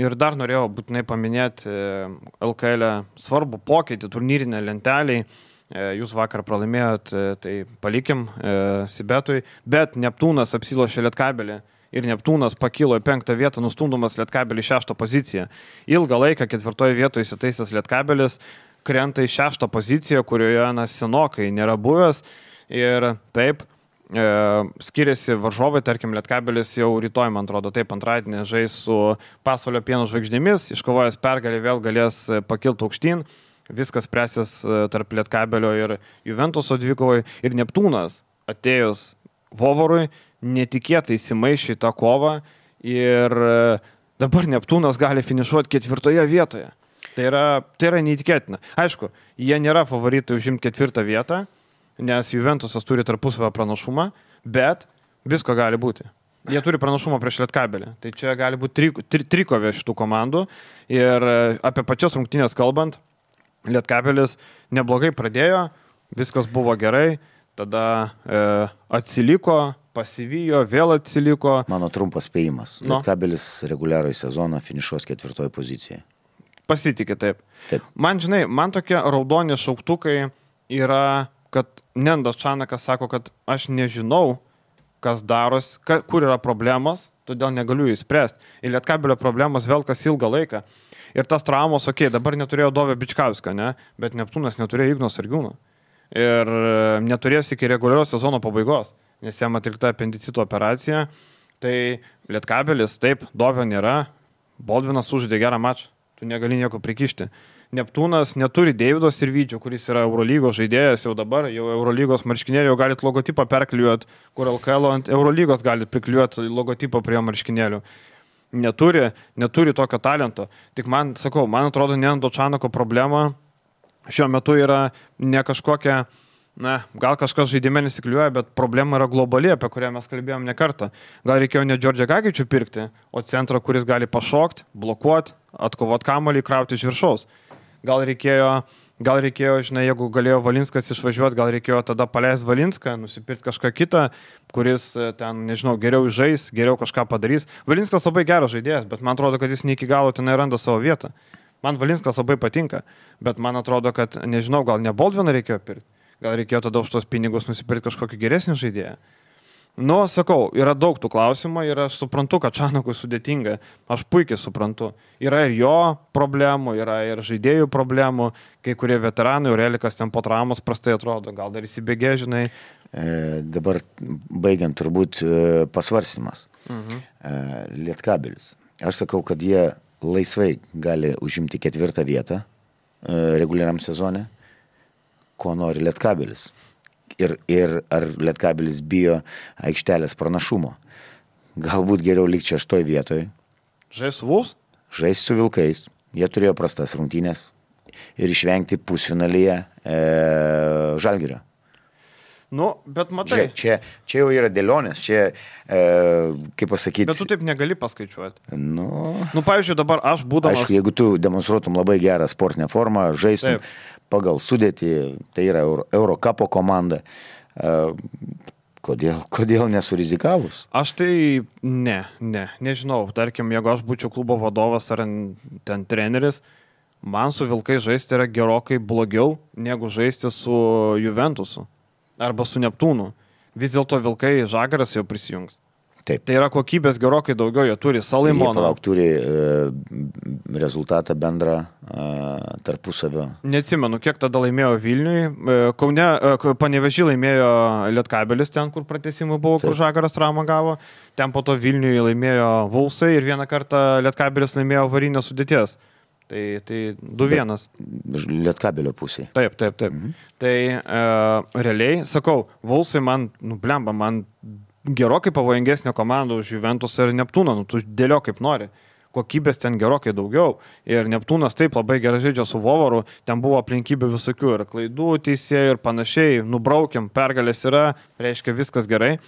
ir dar norėjau būtinai paminėti L K L svarbų pokytį turnyrinę lentelį. Jūs vakar pralaimėjot, tai palikim e, Sibetui, bet Neptūnas apsilošė Lietkabelį. Ir Neptūnas pakilo į penktą vietą, nustumdamas Lietkabelį į šeštą poziciją. Ilgą laiką ketvirtoje vietoje įsitaisęs Lietkabelis krenta į šeštą poziciją, kurioje na, senokai nėra buvęs. Ir taip, e, skiriasi varžovai, tarkim, Lietkabelis jau rytoj, man atrodo, taip antradienį žais su Pasvalio Pieno žvaigždėmis, iškovojęs pergalį vėl galės pakilti aukštyn. Viskas spręsis tarp Lietkabelio ir Juventuso dvikovai. Ir Neptūnas atėjus Vovorui netikėtai įsimaišė tą kovą ir dabar Neptūnas gali finišuoti ketvirtoje vietoje. Tai yra, tai yra neįtikėtina. Aišku, jie nėra favoritai užimti ketvirtą vietą, nes Juventusas turi tarpusavio pranašumą, bet visko gali būti. Jie turi pranašumą prieš Lietkabelį. Tai čia gali būti tri, tri, trikovė šitų komandų. Ir apie pačias rungtynės kalbant, Lietkabelis neblogai pradėjo, viskas buvo gerai, tada e, atsiliko, pasivijo, vėl atsiliko. Mano trumpas spėjimas. No. Lietkabelis reguliaroj sezoną finišuos ketvirtoje pozicijoje. Pasitikė taip. Taip. Man, žinai, man tokie raudoni šauktukai yra, kad Nendas Čanakas sako, kad aš nežinau, kas daros, ka, kur yra problemos, todėl negaliu jų įspręsti. Ir Lietkabelio problemos velkas ilgą laiką. Ir tas traumos, okei, okay, dabar neturėjo Dovio Bičkausko, ne? Bet Neptūnas neturėjo Igno Sargiūno. Ir neturės iki reguliarios sezono pabaigos, nes jam atlikta apendicito operacija. Tai Lietkabelis, taip, Dovio nėra, Boldvinas užžaidė gerą mačą, tu negali nieko prikišti. Neptūnas neturi Deivido Sirvydžio, kuris yra Eurolygos žaidėjas jau dabar, jau Eurolygos marškinėlį, jau galit logotipą perklijuoti, kur L K L ant Eurolygos galit priklijuoti logotipą prie marškinėlių. Neturi, neturi tokio talento. Tik man, sakau, man atrodo, Nendo Čanako problema šiuo metu yra ne kažkokia, na, gal kažkas žaidime nesikliuoja, bet problema yra globali, apie kurią mes kalbėjom ne kartą. Gal reikėjo ne Džordžią Gagičių pirkti, o centrą, kuris gali pašokti, blokuoti, atkovoti kamuolį, krauti iš viršaus. Gal reikėjo, gal reikėjo, žinai, jeigu galėjo Valinskas išvažiuoti, gal reikėjo tada paleisti Valinską, nusipirkti kažką kitą, kuris ten, nežinau, geriau žais, geriau kažką padarys. Valinskas labai geras žaidėjas, bet man atrodo, kad jis ne iki galo tenai randa savo vietą. Man Valinskas labai patinka, bet man atrodo, kad, nežinau, gal ne Boldviną reikėjo pirkti, gal reikėjo tada už tos pinigus nusipirkti kažkokį geresnį žaidėją. Nu, sakau, yra daug tų klausimų ir aš suprantu, kad Čanakui sudėtinga, aš puikiai suprantu. Yra ir jo problemų, yra ir žaidėjų problemų, kai kurie veteranai, Aurelikas ten po traumos prastai atrodo, gal dar įsibėgė, žinai. E, dabar baigiant turbūt e, pasvarstymas. Mhm. E, Lietkabelis. Aš sakau, kad jie laisvai gali užimti ketvirtą vietą reguliariam sezone, ko nori Lietkabelis. Ir, ir ar Lietkabelis bijo aikštelės pranašumo. Galbūt geriau likti šeštoj vietoj. Žais su Vulfs? Žais su Vilkais. Jie turėjo prastas rungtynės. Ir išvengti pusfinalyje e, Žalgirio. Nu, bet matai. Čia, čia jau yra dėlionės, čia, e, kaip pasakyti. Bet tu taip negali paskaičiuoti. Nu, nu pavyzdžiui, dabar aš būdamas. Aišku, jeigu tu demonstruotum labai gerą sportinę formą, žaistum taip. Pagal sudėtį, tai yra Euro, Eurokapo komanda. E, kodėl, kodėl nesurizikavus? Aš tai ne, ne, nežinau. Tarkim, jeigu aš būčiau klubo vadovas ar ten treneris, man su Vilkai žaisti yra gerokai blogiau negu žaisti su Juventusu. Arba su Neptūnu. Vis dėlto Vilkai Žagaras jau prisijungs. Taip. Tai yra kokybės gerokai daugiau, jie turi Salaimoną. Jie palauk, turi e, rezultatą bendrą e, tarpusavio. Neatsimenu, kiek tada laimėjo Vilniui. E, Kaune, e, Panevėžį laimėjo Lietkabelis ten, kur pratęsimai buvo, Taip. Kur Žagaras Ramą gavo. Ten po to Vilniui laimėjo Vulfsai ir vieną kartą Lietkabelis laimėjo Varinės sudėties. Tai, tai du vienas. Lietkabelio pusėje. Taip, taip, taip. Mhm. Tai e, realiai, sakau, Vulfsai man, nu blemba, man gerokai pavojingesnė komanda už Juventus ir Neptūną, nu tu dėlio kaip nori. Kokybės ten gerokai daugiau. Ir Neptūnas taip labai gerai žaidžia su Vovaru, ten buvo aplinkybių visokių ir klaidų teisėjų ir panašiai, nubraukiam, pergalės yra, reiškia viskas gerai.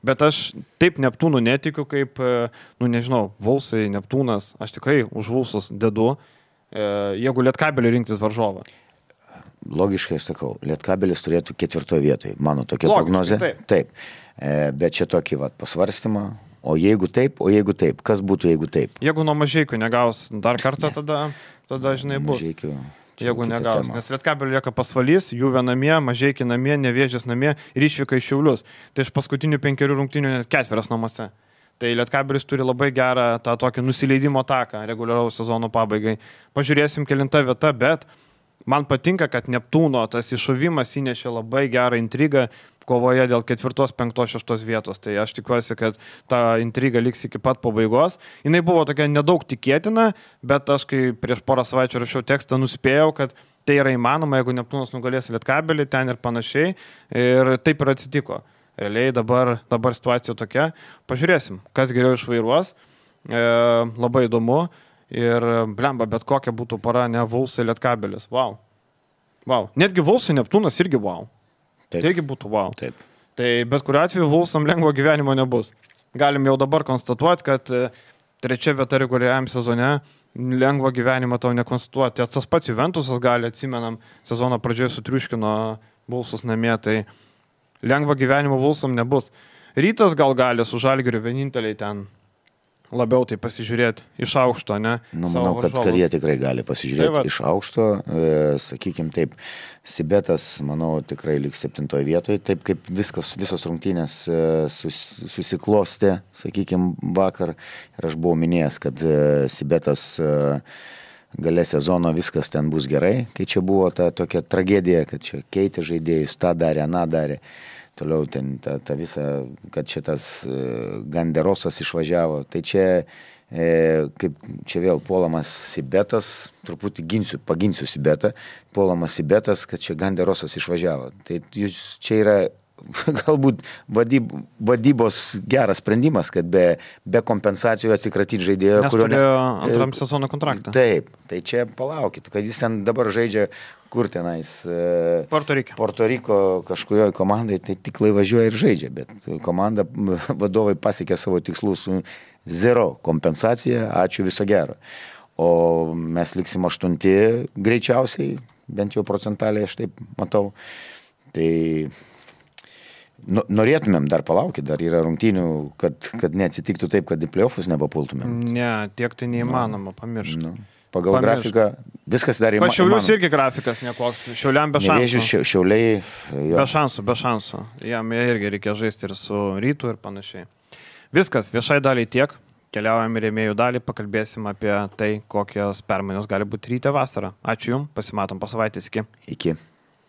Bet aš taip Neptūnų netikiu kaip, nu nežinau, Vulfsai, Neptūnas, aš tikrai už Vulfsus dedu. Jeigu Lietkabelį rinktis varžovą. Logiškai aš sakau, Lietkabelis turėtų ketvirtoje vietoje, mano tokia Logiškai, prognozė. Taip. taip. E, bet čia tokį vat, pasvarstymą, o jeigu taip, o jeigu taip, kas būtų, jeigu taip? Jeigu nuo Mažeikių negaus dar kartą, tada, tada žinai, bus. Mažeikių, jeigu negaus, tema. Nes Lietkabelį lieka pasvalys, Juve namie, Mažeikiai namie, Nevėžis namie ir išvyka iš Šiaulius. Tai iš paskutinių penkerių rungtynių net ketverias namuose. Tai Lietkabelis turi labai gerą tą tokį nusileidimo taką reguliaraus sezono pabaigai. Pažiūrėsim kelinta vieta, bet man patinka, kad Neptūno tas iššovimas įnešė labai gerą intrigą kovoje dėl ketvirtos, penktos, šeštos vietos. Tai aš tikiuosi, kad ta intriga liks iki pat pabaigos. Jinai buvo tokia nedaug tikėtina, bet aš kai prieš porą savaičių rašiau tekstą, nuspėjau, kad tai yra įmanoma, jeigu Neptūnas nugalės Lietkabelį ten ir panašiai. Ir taip ir atsitiko. Realiai dabar, dabar situacija tokia. Pažiūrėsim, kas geriau išvairuos. E, labai įdomu. Ir blemba, bet kokia būtų para, ne Vulfsai Lietkabelis. Wow. Wow. Netgi Vulfsai Neptūnas irgi wow. Taip. Tai irgi būtų wow. Taip. Tai bet kuriuo atveju Vulfsam lengvo gyvenimo nebus. Galim jau dabar konstatuoti, kad trečia vieta reguliariam sezone lengvo gyvenimo tau nekonstatuoti. Tas pats Juventusas gali, atsimenam, sezono pradžioje sutriuškino Vulfsus namie, tai lengvo gyvenimo Vulfsam nebus. Rytas gal gali su Žalgiriu vieninteliai ten labiau tai pasižiūrėti iš aukšto, ne? Nu, manau, kad, kad jie tikrai gali pasižiūrėti tai iš aukšto. E, sakykime taip, Sibetas, manau, tikrai liks septintoje vietoje. Taip kaip viskas, visos rungtynės e, sus, susiklostė, sakykime, vakar. Ir aš buvau minėjęs, kad e, Sibetas e, gale sezono viskas ten bus gerai. Kai čia buvo ta tokia tragedija, kad čia keitė žaidėjus, tą darė, aną darė. Toliau ten ta, ta visa, kad šitas e, Ganderosas išvažiavo. Tai čia, e, kaip čia vėl puolamas Sibetas, truputį ginsiu, paginsiu Sibetą, puolamas Sibetas, kad čia Ganderosas išvažiavo. Tai čia yra galbūt vadyb, vadybos geras sprendimas, kad be, be kompensacijų atsikratyti žaidėjo, nes kurio turėjo ne, antram sezono kontraktą. Taip, tai čia palaukit, kad jis ten dabar žaidžia kur tenais Porto Riko. Porto Riko kažkurioje komandai, tai tik važiuoja ir žaidžia, bet komanda vadovai pasiekė savo tikslus su zero kompensacija, ačiū, viso gero. O mes liksim aštunti greičiausiai, bent jau procentaliai aš taip matau. Tai norėtumėm dar palaukti, dar yra rungtynių, kad, kad neatsitiktų taip, kad į play-offus nebapultumėm. Ne, tiek tai neįmanoma, pamiršti. Nu, pagal Pamiršt. grafiką viskas dar įmanoma. Pašiaulius irgi grafikas nekoks, Šiauliam be šansų. Nevėžiu, Šiauliai. Jo. Be šansų, be šansų. Jam irgi reikia žaisti ir su Rytu ir panašiai. Viskas, viešai daliai tiek. Keliaujam į rėmėjų dalį, pakalbėsim apie tai, kokios permainos gali būti ryte vasarą. Ačiū Jums, pasimatom po savaitės. Iki. Iki.